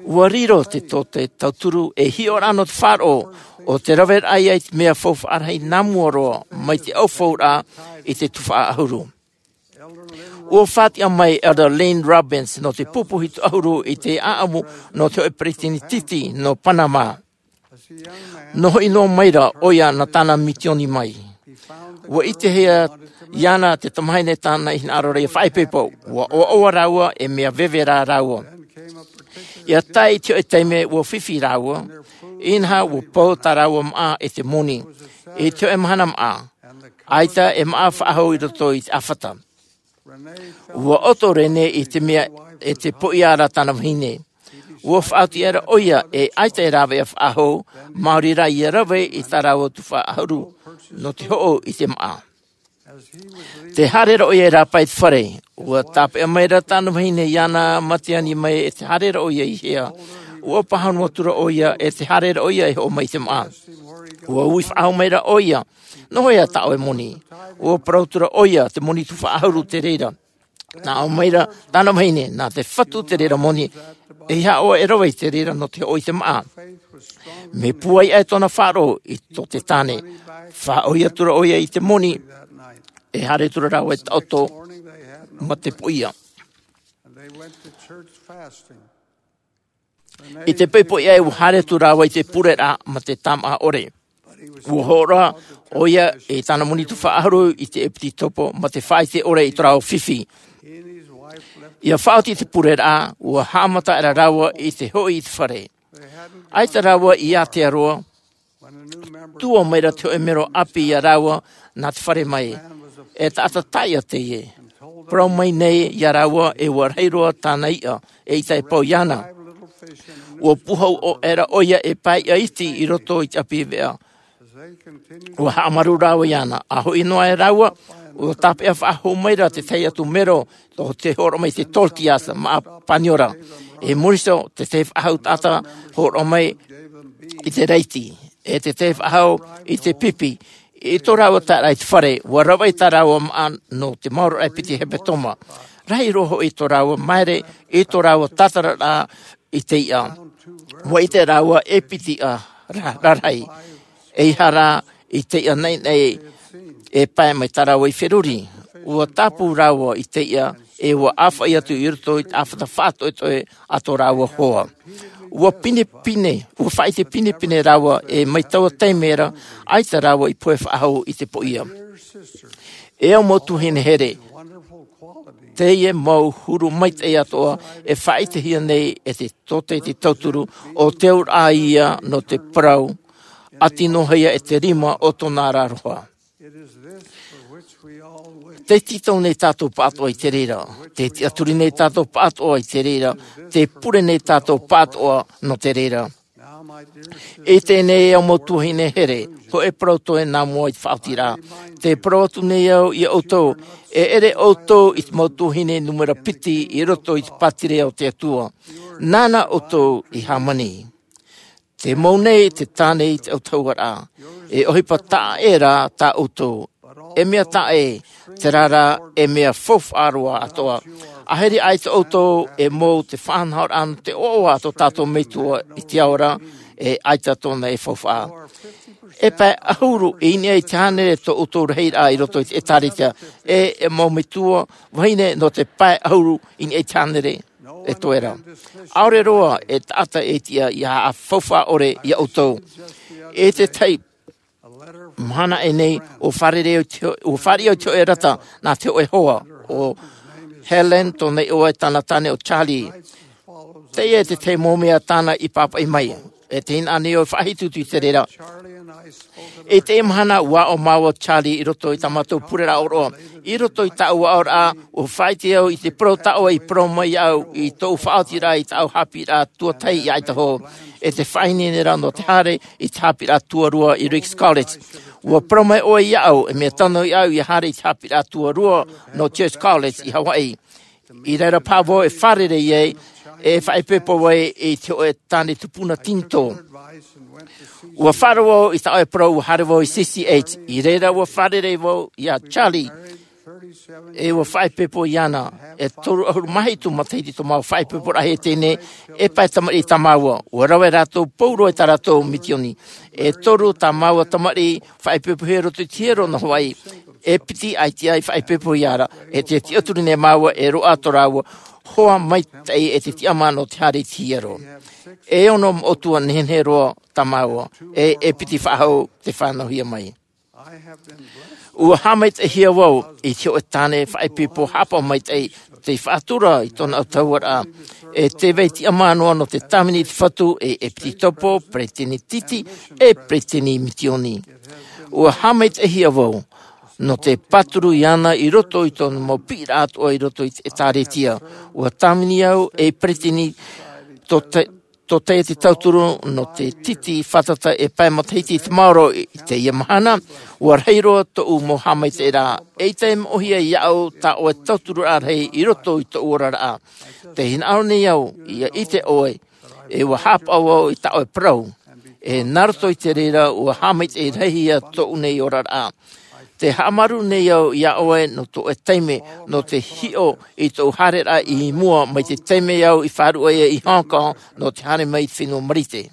Ua riro te tō te tauturu e hiʻoraʻa nō te faʻaroʻo, ʻo te raveraʻa ia i te mea faufaʻa rahi nā mua roa, mai te ʻaufauraʻa i te tuhaʻa ʻahuru. Ua faʻatiʻa mai Elder Lane Robbins nō te pupu hitu ʻahuru i te ʻāʻamu nō te hoʻi peresideni titi nō Panama. Nō hoʻi noa mai ra ʻoia nā tāna mitioni mai. Ua ʻitehia iāna te tamahine tāna i hinaʻaro ra ia faʻaipoipo. Ua ʻoaʻoa rāua e mea veve rā rāua. Ia tae i te hoʻi taime ua fifi rāua, inaha ua pau tā rāua māʻa e te moni. I te hoʻi mahana māʻa, ʻaita e māʻa faʻahou i roto i te ʻāfata. Ua ʻoto Rene i te mea e te poʻia ra tāna vahine. Ua faʻaoti aʻera ʻoia e ʻaita e rāveʻa faʻahou, maori rā ia rave i tā rāua tuhaʻa ʻahuru nō te hoʻo i te māʻa. Tē haere ra ʻoia i rāpae i te fare, ua tāpeʻa mai ra tāna vahine iāna mā te ani mai e tē haere ra ʻoia i hea. Ua pāhono atu ra ʻoia e tē haere ra ʻoia e hoʻo mai i te māʻa. Ua ui faʻahou mai ra ʻoia, nō hea tā ʻoe moni? Ua parau atu ra ʻoia, te moni tuhaʻa ʻahuru te reira. Nā ʻō mai ra tāna vahine, nā te Fatu te reira moni, ʻeiaha ʻoe e rave i te reira nō te hoʻo i te māʻa. Mea pūai aʻe tōna faʻaroʻo i tō te tāne. Faʻaʻoi atu ra ʻoia i te moni, e haere atu ra rāua i taʻoto mā te poʻia. I te poʻipoʻi aʻe ua haere atu rāua i te pureraʻa mā te tāmāʻa ʻore. Ua hōroʻa ʻoia i tāna moni tuhaʻa ʻahuru i te ʻepitopo mā te faʻaʻite ʻore i tō rāua fifi. ʻIa faʻaoti te pureraʻa, ua haʻamata aʻera rāua i te hoʻi i te fare. ʻAita rāua i ātea roa, tuʻu mai ra te hoʻi mero ʻāpī iā rāua nā te fare mai. E taʻata taiʻa teie. Parau mai nei iā rāua e ua rahi roa tāna iʻa, eʻita e pau iāna. Ua pūhau aʻera ʻoia e pae iʻa iti i roto i te ʻapi veʻa. Ua haʻamaru rāua iāna, ʻa hoʻi noa aʻe rāua, ua tāpeʻa faʻahou mai ra te tahi atu mero, tō te hōroʻa mai te tortillas, māʻa paniora. E muri iho, te tahi faʻahou taʻata hōroʻa mai i te raiti, e te tahi faʻahou i te pipi. I tō rāua taeraʻa i te fare, ʻua ravaʻi tā rāua māʻa nō te maoro e piti hepetoma. Rahi roa hoʻi tō rāua māere i tō rāua tātararaʻa i te iʻa. ʻUa ʻite rāua e piti iʻa ra-, rarahi. ʻEiaha rā i te iʻa naʻinaʻi e pae mai tā rāua i feruri. ʻUa tāpū rāua i te iʻa, e ʻua ʻāfaʻi atu i roto i te ʻāfata faʻatoʻetoʻe a tō rāua hoa. ʻUa pinepine, ʻua faʻaʻite pinepine rāua, e mai taua taime ra, ʻaita rāua i pohe faʻahou i te poʻia. E au mau tuahine here, teie mau huru maitaʻi atoʻa e faʻaʻitehia nei e te tōtaiete tauturu, ʻo te auraʻa ia nō te parau, ʻati noa ia e te rima o tōna aroha. Tē tītau nei tātou pāʻatoʻa i te reira, tē tiʻaturi nei tātou pāʻatoʻa i te reira, tē pure nei tātou pāʻatoʻa nō te reira. I teie nei e au mau tuahine here, hōʻē parau toe nā mua i te faʻaotiraʻa. Tē parau atu nei au ia ʻoutou, e ʻere ʻoutou i te mau tuahine nūmera piti i roto i te pātireia o te Atua. Nāna ʻoutou i hāmani. Te mau nei te tāne i te autahuʻaraʻa. E ʻohipa taʻa ʻē rā tā ʻoutou. E mea taʻa ʻē, terā rā, e mea faufaʻa roa atoʻa. ʻAhiri ʻaita ʻoutou e mau te faʻanahoraʻa nō te ʻoaʻoa a tō tātou Metua i te ao ra, e ʻaita tōna e faufaʻa. E pae ʻahuru i niʻa i te hānere tō ʻoutou rahiraʻa i roto i te ʻĒtārētia, e, e mau metua vahine nō te pae ʻahuru i niʻa i te hānere e toe ra. ʻAore roa e taʻata e tiʻa ia faufaʻa ʻore ia ʻoutou. I te tahi mahana aʻe nei, ʻua fārerei au i te ho-, ʻua fāriʻi au i te hōʻē rata nā te hōʻē hoa, ʻo Helen, tōna iʻoa, e tāna tāne ʻo Charlie. Teie te tahi mau mea tāna i pāpaʻi mai. E te hinaʻaro nei ʻoe e faʻahitu atu i te reira. I teie mahana, ʻua aʻo māua ʻo Charlie i roto i tā mātou pureraʻa ʻōroʻa. I roto i tāʻu aʻoraʻa, ʻua faʻaʻite au i te parau tā ʻoe i parau mai iāʻu i tōʻu faʻaotiraʻa i tāʻu haʻapiʻiraʻa tuatahi i Idaho. E te faʻaineineraʻa nō te haere i te haʻapiʻiraʻa tuarua i Ricks College. ʻUa parau mai ʻoe iāʻu, e mea tano iāʻu ia haere i te haʻapiʻiraʻa tuarua nō Church College i Hawaii. I reira paha vau e fārerei ai, e faʻaipoipo ai i te hōʻē tāne tupuna tinitō. ʻUa faʻaroʻo vau i tā ʻoe parau, ʻua haere vau i C C H. I reira ʻua fārerei vau iā Charlie. E ʻua faʻaipoipo iāna. E toru ʻahuru mā hitu matahiti tō māua faʻaipoiporaʻa i teie nei, e pae tamariʻi tā māua. ʻUa rave rātou pauroa i tā rātou misioni. E toru tā māua tamariʻi faʻaipoipohia i roto i te hiero nō Hawaii. E piti ʻaita i faʻaipoipo iāna, e te tiʻaturi nei māua e roaʻa tō rāua hoa maitaʻi e te tiʻamā nō te haere i te hiero. E ono moʻotua nehenehe roa tā māua, e, e piti faʻahou tei fānauhia mai. ʻUa haʻamaitaʻihia vau i te hōʻē tāne faʻaipoipo haʻapaʻo maitaʻi, tei faʻatura i tōna autahuʻaraʻa. E te vai tiʻamā noa nō te tāvini i te Fatu, e, e Epitiopō, peretiteni tītī, e peretiteni misioni. ʻUa haʻamaitaʻihia vau nō te pāturu iāna i roto i tōna mau piʻiraʻa atoʻa i roto i te ʻĒtārētia. ʻUa tāvini au ei peretiteni tō te, tōtaiete tauturu nō te tītī fātata e pae matahiti i te maoro i teie mahana. ʻUa rahi roa tōʻu mau haʻamaitaʻiraʻa. ʻEita e moʻehia iāʻu tā ʻoe tautururaʻa rahi i roto i tōʻu oraraʻa. Tē hinaʻaro nei au ia ʻite ʻoe, e ʻua haʻapaʻo vau i tā ʻoe parau. E nā roto i te reira ʻua haʻamaitaʻi rahi ia tōʻu nei oraraʻa. Tē haʻamāuruuru nei au iā ʻoe nō tō ʻoe taime, nō te hiʻo i tōʻu haereraʻa i mua mai te taime au i faʻaruʻe ai i Hong Kong nō te haere mai i te fenua Marite.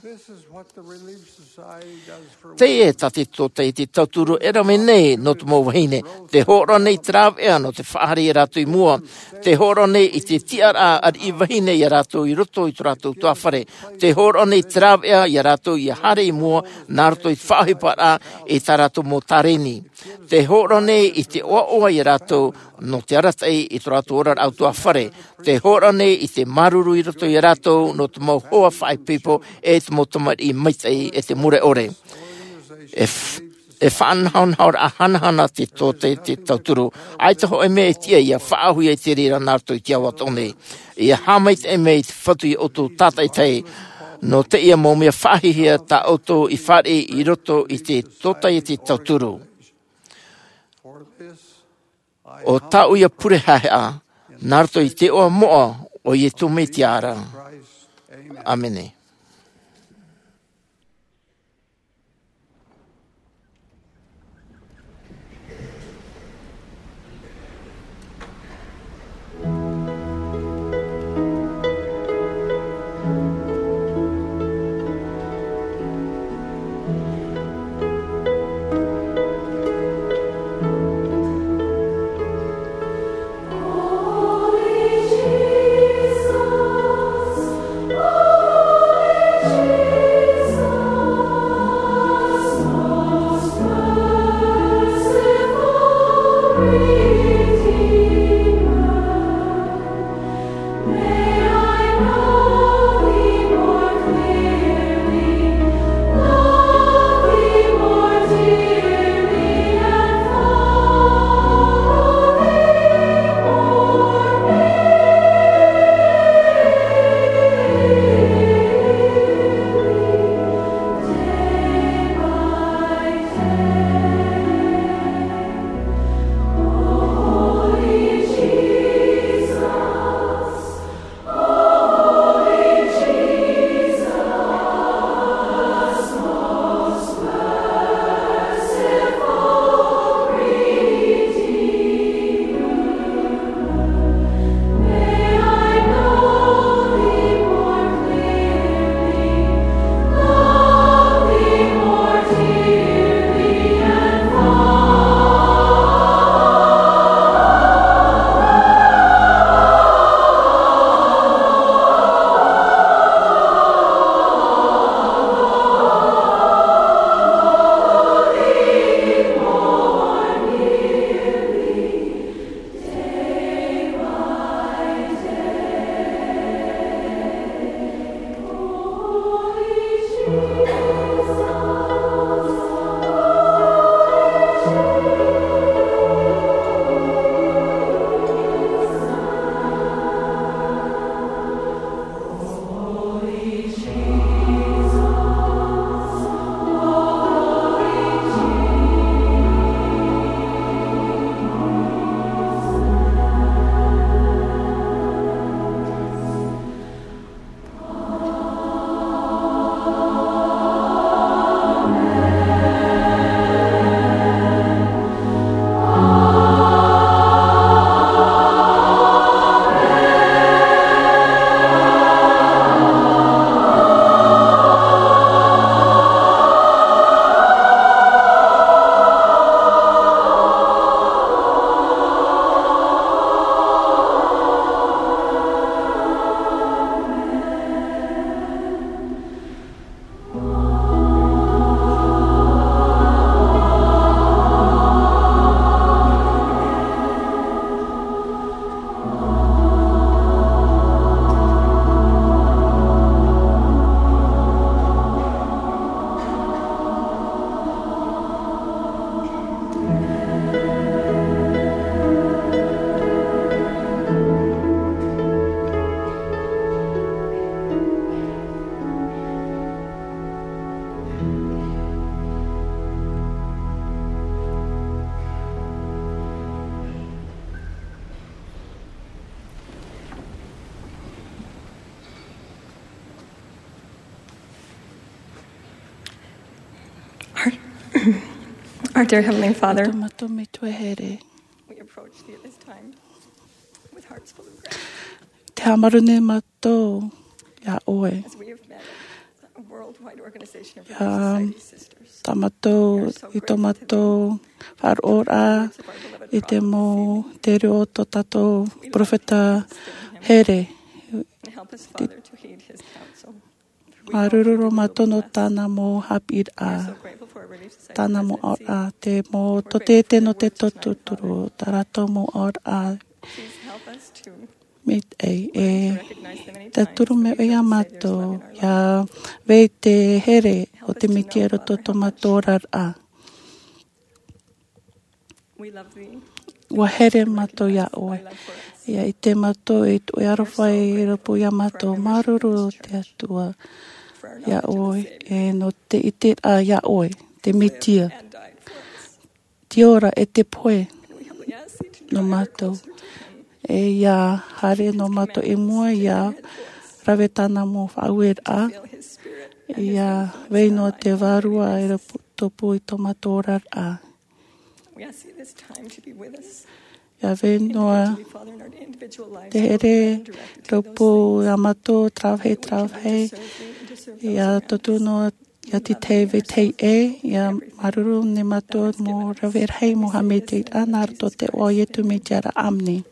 Teie tā te tōtaiete tauturu e rave nei nō te mau vahine. Tē hōroʻa nei te rāveʻa nō te faʻahaere iā rātou i mua. Tē hōroʻa nei i te tiʻaraʻa ariʻi vahine iā rātou i roto i tō rātou tuāfare. Tē hōroʻa nei te rāveʻa iā rātou ia haere i mua nā roto i te faʻaʻohiparaʻa i tā rātou mau tārēni. Tē hōroʻa nei i te ʻoaʻoa iā rātou nō te arataʻi i tō rātou oraraʻa tuāfare. Tē hōroʻa nei i te māuruuru i roto iā rātou nō te mau hoa faʻaipoipo e te mau tamariʻi maitaʻi e te mure ʻore. E f-, e faʻanahonahoraʻa hanahana te tōtaiete tauturu. ʻAita hōʻē mea e tiʻa ia faʻaʻauhia i te reira nā roto i te ao atoʻa nei. ʻIa haʻamaitaʻi mai te Fatu iā ʻoutou tātaʻitahi nō teie mau mea faʻahiahia tā ʻoutou i fāriʻi i roto i te tōtaiete tauturu. ʻO tāʻu ia pure haʻehaʻa, nā roto i te iʻoa moʻa o Iesu Mesia ra. ʻĀmene. Our, our dear Heavenly Father, Tō mātou Metua here. We approach thee at this time with hearts full of gratitude. Te haʻamāuruuru mātou iā ʻoe. As we have met a worldwide organization of Relief Society sisters. Ia tā mātou, i tō mātou faʻaroʻoraʻa i te mau, te reo o tō tātou perofeta here. And help us, Father, to heed his counsel. Māuruuru roa mātou nō tāna mau haʻapiʻiraʻa, tāna mau aʻoraʻa, te mau tōtete nō te tauturu, tā rātou mau aʻoraʻa. Mai te, e tauturu mai iā mātou, ʻia vai te here o te Mesia i roto i tō mātou oraraʻa. ʻUa here mātou iā ʻoe. ʻIa ʻite mātou e tuʻu aroha i rōpū iā mātou. Māuruuru te Atua iā ʻoe, e nō te ʻiteraʻa iā ʻoe, te Mesia. Te ora e te pohe nō mātou. E ʻia haere nō mātou i mua iā rave tāna mau faʻaueraʻa. Ia vai noa te Vārua e rāpae tōpū i tō mātou oraraʻa. Ia vai noa te here rāpae iā mātou, tārahu, tārahu. Ia tōtō noa ia te tei vetahi ʻē, ia māuruuru nei mātou mau rave rahi, mau haʻamaitaʻiraʻa nā roto i te iʻoa o Iesu Mesia, āmene.